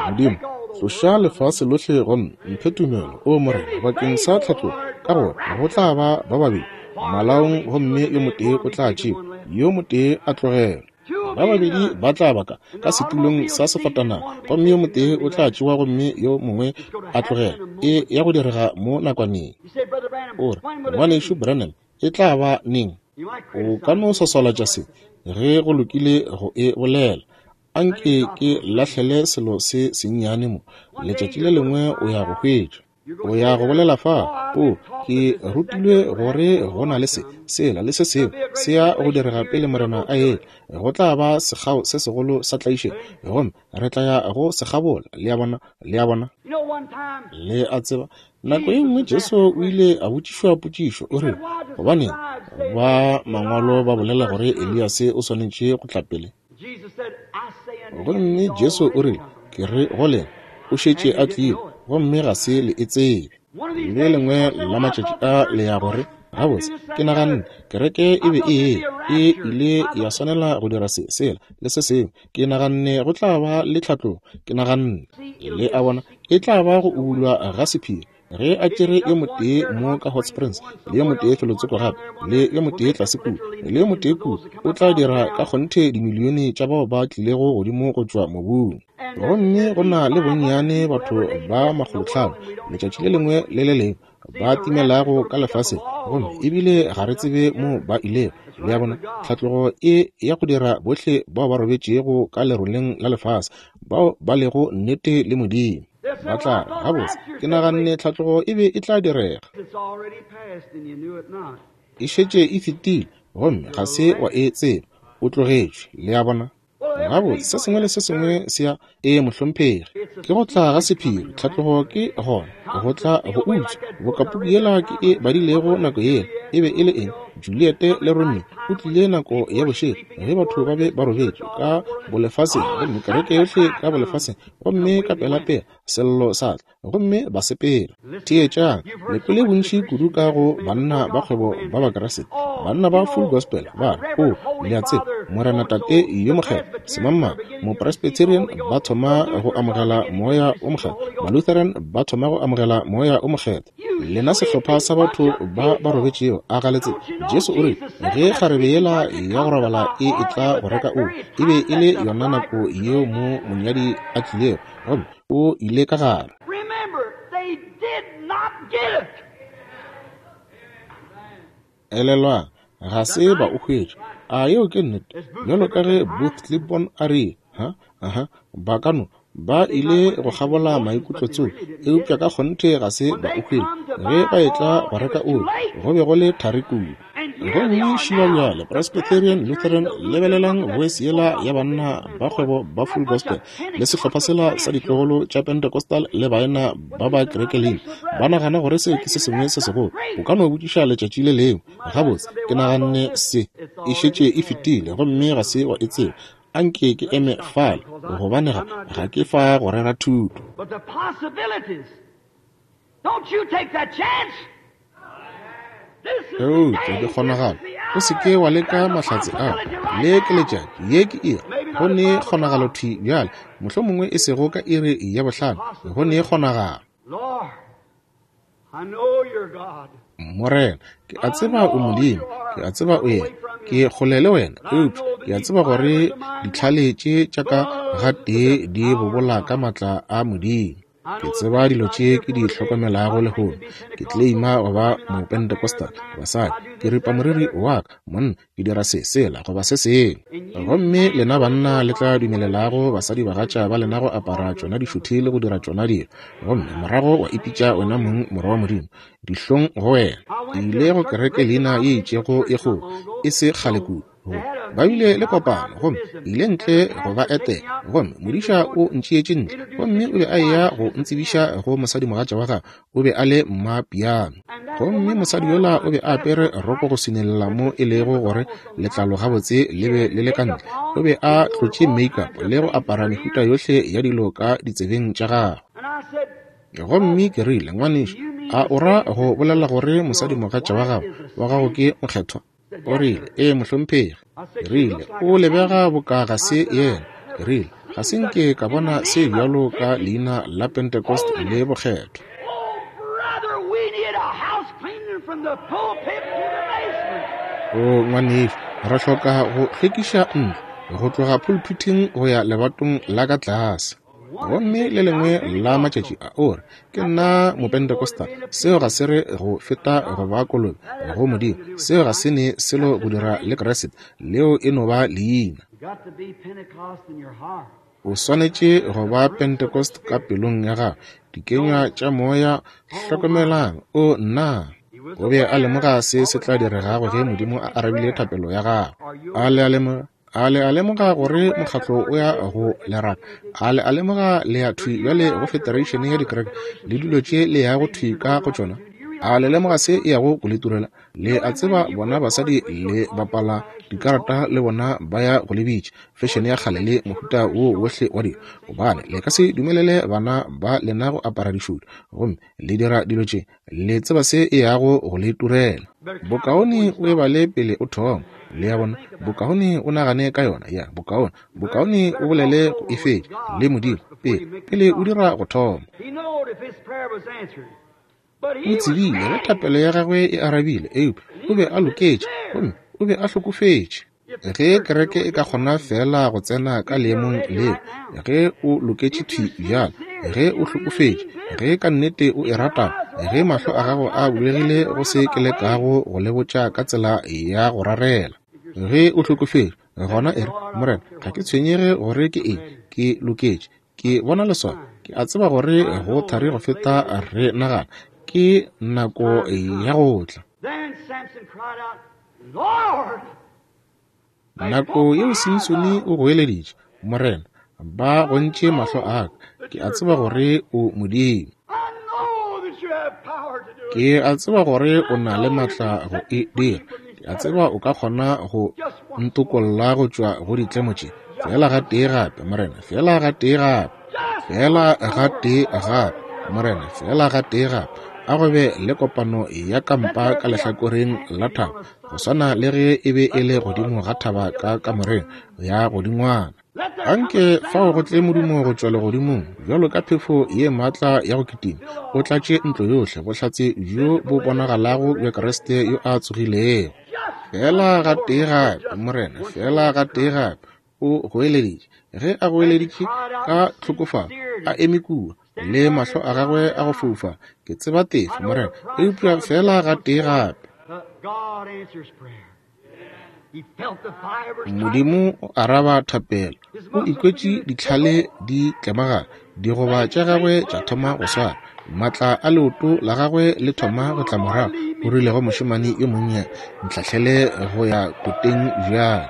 Modimo, tloša lefase lohle gomme mphe tumelo, o Morena, bakeng sa tlhatlogo, ka gore go tla ba ba babedi malaong gomme yo motee o tla tšewa, yo motee a tlogelwa. Ba babedi ba tla ba ka ka setulong sa sefatanaga gomme yo motee o tla tšewa gomme yo mongwe a tlogelwa. E ya go direga mo nakwaneng. O re, Ngwanešu Branham, e tla ba neng? O ka no swaswalatša se ge go lokile go e bolela. Anke ke lahlele selo se sennyane mo. Letšatši le lengwe o ya go hwetša. O ya go bolela fa, o, ke rutilwe gore go na le se, sela le se sengwe se ya go direga pele Morena a etla. Go tla ba sekgao se segolo sa tlaišego, gomme re tla ya go sekgabola. Le a bona, le a bona, le a tseba. Nako e nngwe Jesu o ile a botšišwa potšišo, o rile, gobaneng ba mangwalo ba bolela gore Eliase o swanetše go tla pele? Gomme Jesu o rile, ke re go lena, o šetše a tlile, gomme ga se le e tsebe. Le lengwe la matšatši a le ya gore, gabotse, ke naganne kereke e be e e ile ya swanela go dira se, sela le se sengwe. Ke naganne go tla ba le tlhatlogo. Ke naganne, le a bona, e tla ba go ubulwa ga sephiri. Ge a tšere yo motee mo ka Hot Springs, le yo motee felotsoko gape, le yo motee tlase kua, le yo motee kua, o tla dira ka kgonthe dimilione tša bao ba tlilego godimo go tšwa mobung. Gomme go na le bonnyane batho ba makgolotlhano letšatši le lengwe le le lengwe ba timelago ka lefaseng, gomme ebile ga re tsebe mo ba ilego. Le a bona, tlhatlogo e ya go dira bohle bao ba robetšego ka leroleng la lefase, bao ba lego nnete le Modimo. Ba tla re, gabotse, ke naganne tlhatlogo e be e tla direga. E šetše e fetile, gomme ga se wa e tseba. O tlogetšwe. Le a bona? Gabotse, se sengwe le se sengwe se ya e mohlomphegi. Ke go tla ga sephiri, tlhatlogo ke gona, go tla go utswa. Bokapuku yela ke e badilego nako yela, e be e le eng? Juliet le Romeo. O tlile nako ya bošego ge batho ba be ba robetše ka bolefaseng, gomme kereke yohle ka bolefaseng, gomme ka pelapela sello sa tla, gomme ba sepela. Theetšang, le kwele bontši kudu ka go banna ba kgwebo ba Bakeresete, banna ba full gospel, ba re, o, le a tseba, Morena Tate yo mokgethwa, semangmang, Mopresbyterian ba thoma go amogela moya o mokgethwa, Malutheran ba thoma go amogela moya o mokgethwa. Lena sehlopha sa batho ba ba robetšego, a ga le tsebe? Jesu o rile, ge kgarebe yela ya go robala e etla go reka oli, e be e le yona nako yeo mo monyadi a tlilego, gomme o ile ka gare. Elelwang, ga se ba o hwetša. A yeo ke nnete? Bjalo ka ge Booth Clifton a rile, ha, aha, ba ka no ba ile go kgabola maikutlo tseo, eupša ka kgonthe ga se ba o hwetša. Ge ba etla go reka oli, go be go le thari kudu. Gomme šiba bjale, Presbyterian, Lutheran, lebelelang voice yela ya banna ba kgwebo ba full gospel le sehlopha sela sa ditlogolo tša Pentecostal le baena ba ba kerekeleng, ba nagana gore seo ke se sengwe se segolo. O ka no botšiša letšatši le lengwe, gabotse, ke naganne se e šetše e fetile, gomme ga se wa e tseba. Anke ke eme fale, gobane ga ga ke fa go rera thuto.
But the possibilities, don't you take that chance.
Eupša dikgonagalo, o se ke wa leka mahlatse ao. Le ke letšatši, ye ke iri. Go ne kgonagalo thwi bjale, mohlomongwe e sego ka iri ya bohlano, go ne kgonagalo.
Lord, I know you're God.
Morena, ke a tseba o Modimo, ke a tseba o yena, ke kgole le wena, eupša ke a tseba gore ditlhale tše tša ka gatee di bobola ka matla a Modimo. Ke tseba dilo tše ke di hlokomelago lehono. Ke claima go ba Mopentecostal, basadi, ke ripa moriri wa ka, monna, ke dira se, sela, goba se sengwe. Gomme lena banna le tla dumelelago basadi bagatša ba lena go apara tšona dišuthi le go dira tšona dilo, gomme morago wa ipitša wena mong morwa wa Modimo. Dihlong go wena. Ke ile go kereke leina ye itšego e kgolo, e se kgale kudu. Ba bile le kopano, gomme ile ntle go ba etela, gomme modiša o ntšeetše ntle, gomme o be a eya go ntsebiša go mosadimogatša wa gagwe, o be a le mmapiano. Gomme mosadi yola o be a apere roko go swinelela mo e lego gore letlalo gabotse le be le le ka ntle. O be a tlotše makeup le go apara mehuta yohle ya dilo ka ditsebeng tša gagwe. Gomme ke rile, ngwanešu, a o ra go bolela gore mosadimogatša wa gago wa gago ke mokgethwa? O rile, ee, mohlomphegi. Ke rile, o lebega boka ga se yena. Ke rile, ga se nke ka bona se bjalo ka leina la Pentecost le bokgethwa. O ngwanešu, re hloka go hlwekiša ntlo go tloga pulpithing go ya lebatong la ka tlase. Gomme le lengwe la matšatši a o re, ke nna Mopentecostal. Seo ga se re go feta go ba kolobe go Modimo. Seo ga se ne selo go dira le Kriste. Leo e no ba leina. O swanetše go ba Pentecost ka pelong ya gago. Dikenywa tša moya, hlokomelang. O nna. O be a lemoga se se tla diregago ge Modimo a arabile thapelo ya gagwe. A le a lemoga? A le a lemoga gore mokgatlo o ya go leraka? A le a lemoga le ya thwi bjale go federation ya dikereke le dilo tše le yago thwi ka go tšona? A le lemoga se e yago go le turela? Le a tseba bona basadi le bapala dikarata le bona ba ya go le bitša fashion ya kgale le mohuta wo wohle wa dilo, gobane le ka se dumelele bana ba lena go apara dišutu, gomme le dira dilo tše. Le tseba se e yago go le turela. Bokaone o e bale pele o thoma. Le ya bona, bokaone o nagane ka yona. Ya, bokaone, bokaone o bolele go e fetša le Modimo pele, pele o dira go thoma. O tsebile ge thapelo ya gagwe e arabile, eupša o be a loketše gomme o be a hlokofetše. Ge kereke e ka kgona fela go tsena ka leemong leo, ge o loketše thwi bjalo, ge o hlokofetše, ge ka nnete o e rata, ge mahlo a gago a bulegile go se ke lekago go le botša ka tsela ya go rarela, ge o hlokofetše, gona e re, Morena, ga ke tshwenyege gore ke eng, ke loketše, ke bona leswao, ke a tseba gore go thari go feta re nagana, ke nako ya go tla. Nako yeo Simsone o goeleditše, Morena, ba gontše mahlo a ka, ke a tseba gore o Modimo. Ke a tseba gore o na le matla go e dira. Ke a tseba o ka kgona go ntokolla go tšwa go ditlemo tše. Fela gatee gape, Morena, fela gatee gape. Fela gatee gape, Morena, fela gatee gape. A go be le kopano ya kampa ka lehlakoreng la thaba, go swana le ge e be e le godimo ga thaba ka kamoreng ya godingwana. Anke fao go tle modumo go tšwa legodimong bjalo ka phefo ye maatla ya go kitima, o tlatše ntlo yohle bohlatse bjo bo bonagalago bja Kriste yo a tsogilego. Fela gatee gape, Morena, fela gatee gape, o goeleditše. Ge a goeleditše ka tlhokofalo, a eme kua le mahlo a gagwe a go foufa, ke tseba tefo, Morena, eupša fela gatee gape. Modimo o araba thapelo. O ikwetše ditlhale di tlemagana, digoba tša gagwe tša thoma go swara, matla a leoto la gagwe le thoma go tla morago. O rile go mošemane yo monnyane, ntlhahlele go ya koteng bjale.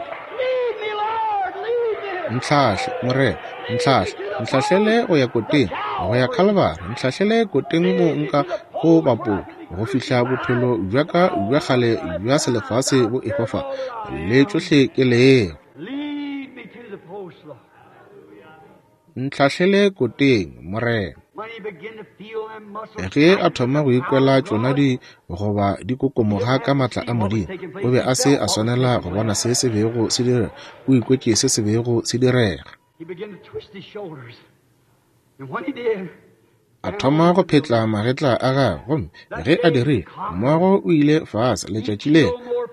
Ntlhahle, Morena, ntlhahle, ntlhahlele go ya koteng, go ya Khalibari, ntlhahlele koteng mo nka go bapola, go fihla bophelo bja ka bja kgale bja selefase bo ehwa fa, le tšohle ke lego. Ntlhahlele koteng, Morena. Ge a thoma go ikwela tšona di goba di kokomoga ka matla a Modimo, o be a se a swanela go bona se se bego se direga. O ikwetše se se bego se direga. A thoma go phetla magetla a gagwe, gomme ge a dirile, mmogo o ile fase. Letšatši le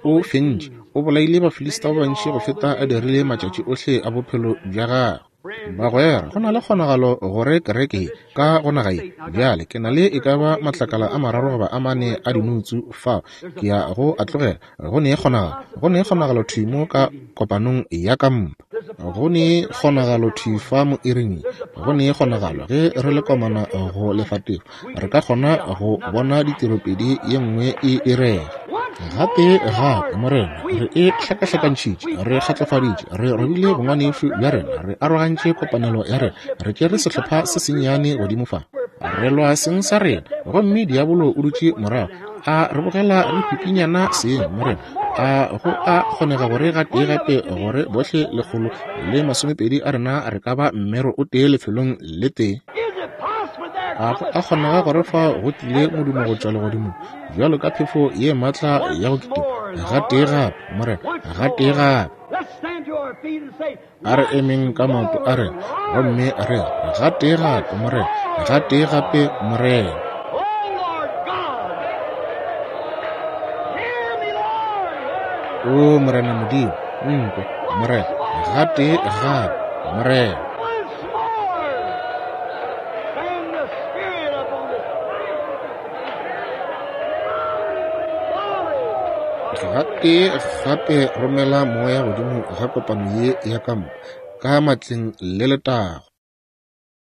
o fentše, o bolaile Bafilista ba bantši go feta a dirile matšatši ohle a bophelo bja gagwe. Bagwera, go na le kgonagalo gore kereke ka go naga ye bjale ke na le e ka ba matlakala a mararo goba a mane a dinutsu fao ke ya go a tlogela. Go ne kgonagalo, go ne kgonagalo thwi mo ka kopanong ya kampa, go ne kgonagalo thwi fa mo iring, go ne kgonagalo ge re le komana go lefatefo, re ka kgona go bona ditiropedi ye nngwe e direga. Gape gape, Morena, re e hlakahlakantšhitše, re kgatlofaditše, re robile bongwanešu bja rena, re arogantše kopanelo ya rena, re tšere sehlopha se sennyane godimo fa, re lwa seng sa rena, gomme diabolo o dutše morago a re bogela re pipinyana seng. Morena, a go a kgonega gore gatee gape gore bohle lekgolo le masomepedi a rena re ka ba mmero o tee lefelong le tee? A go a kgonega gore fa go tlile modumo go tšwa legodimong bjalo ka phefo ye maatla ya go kitima, Gatee gape, Morena, gatee gape. A re emeng ka maoto a rena gomme re re, Gatee gape, Morena, gatee gape, Morena. O Morena Modimo, nkwe, Morena, gatee gape, Morena. Gatee gape romela moya godimo ga kopano ye ya kampa, ka matleng le letago.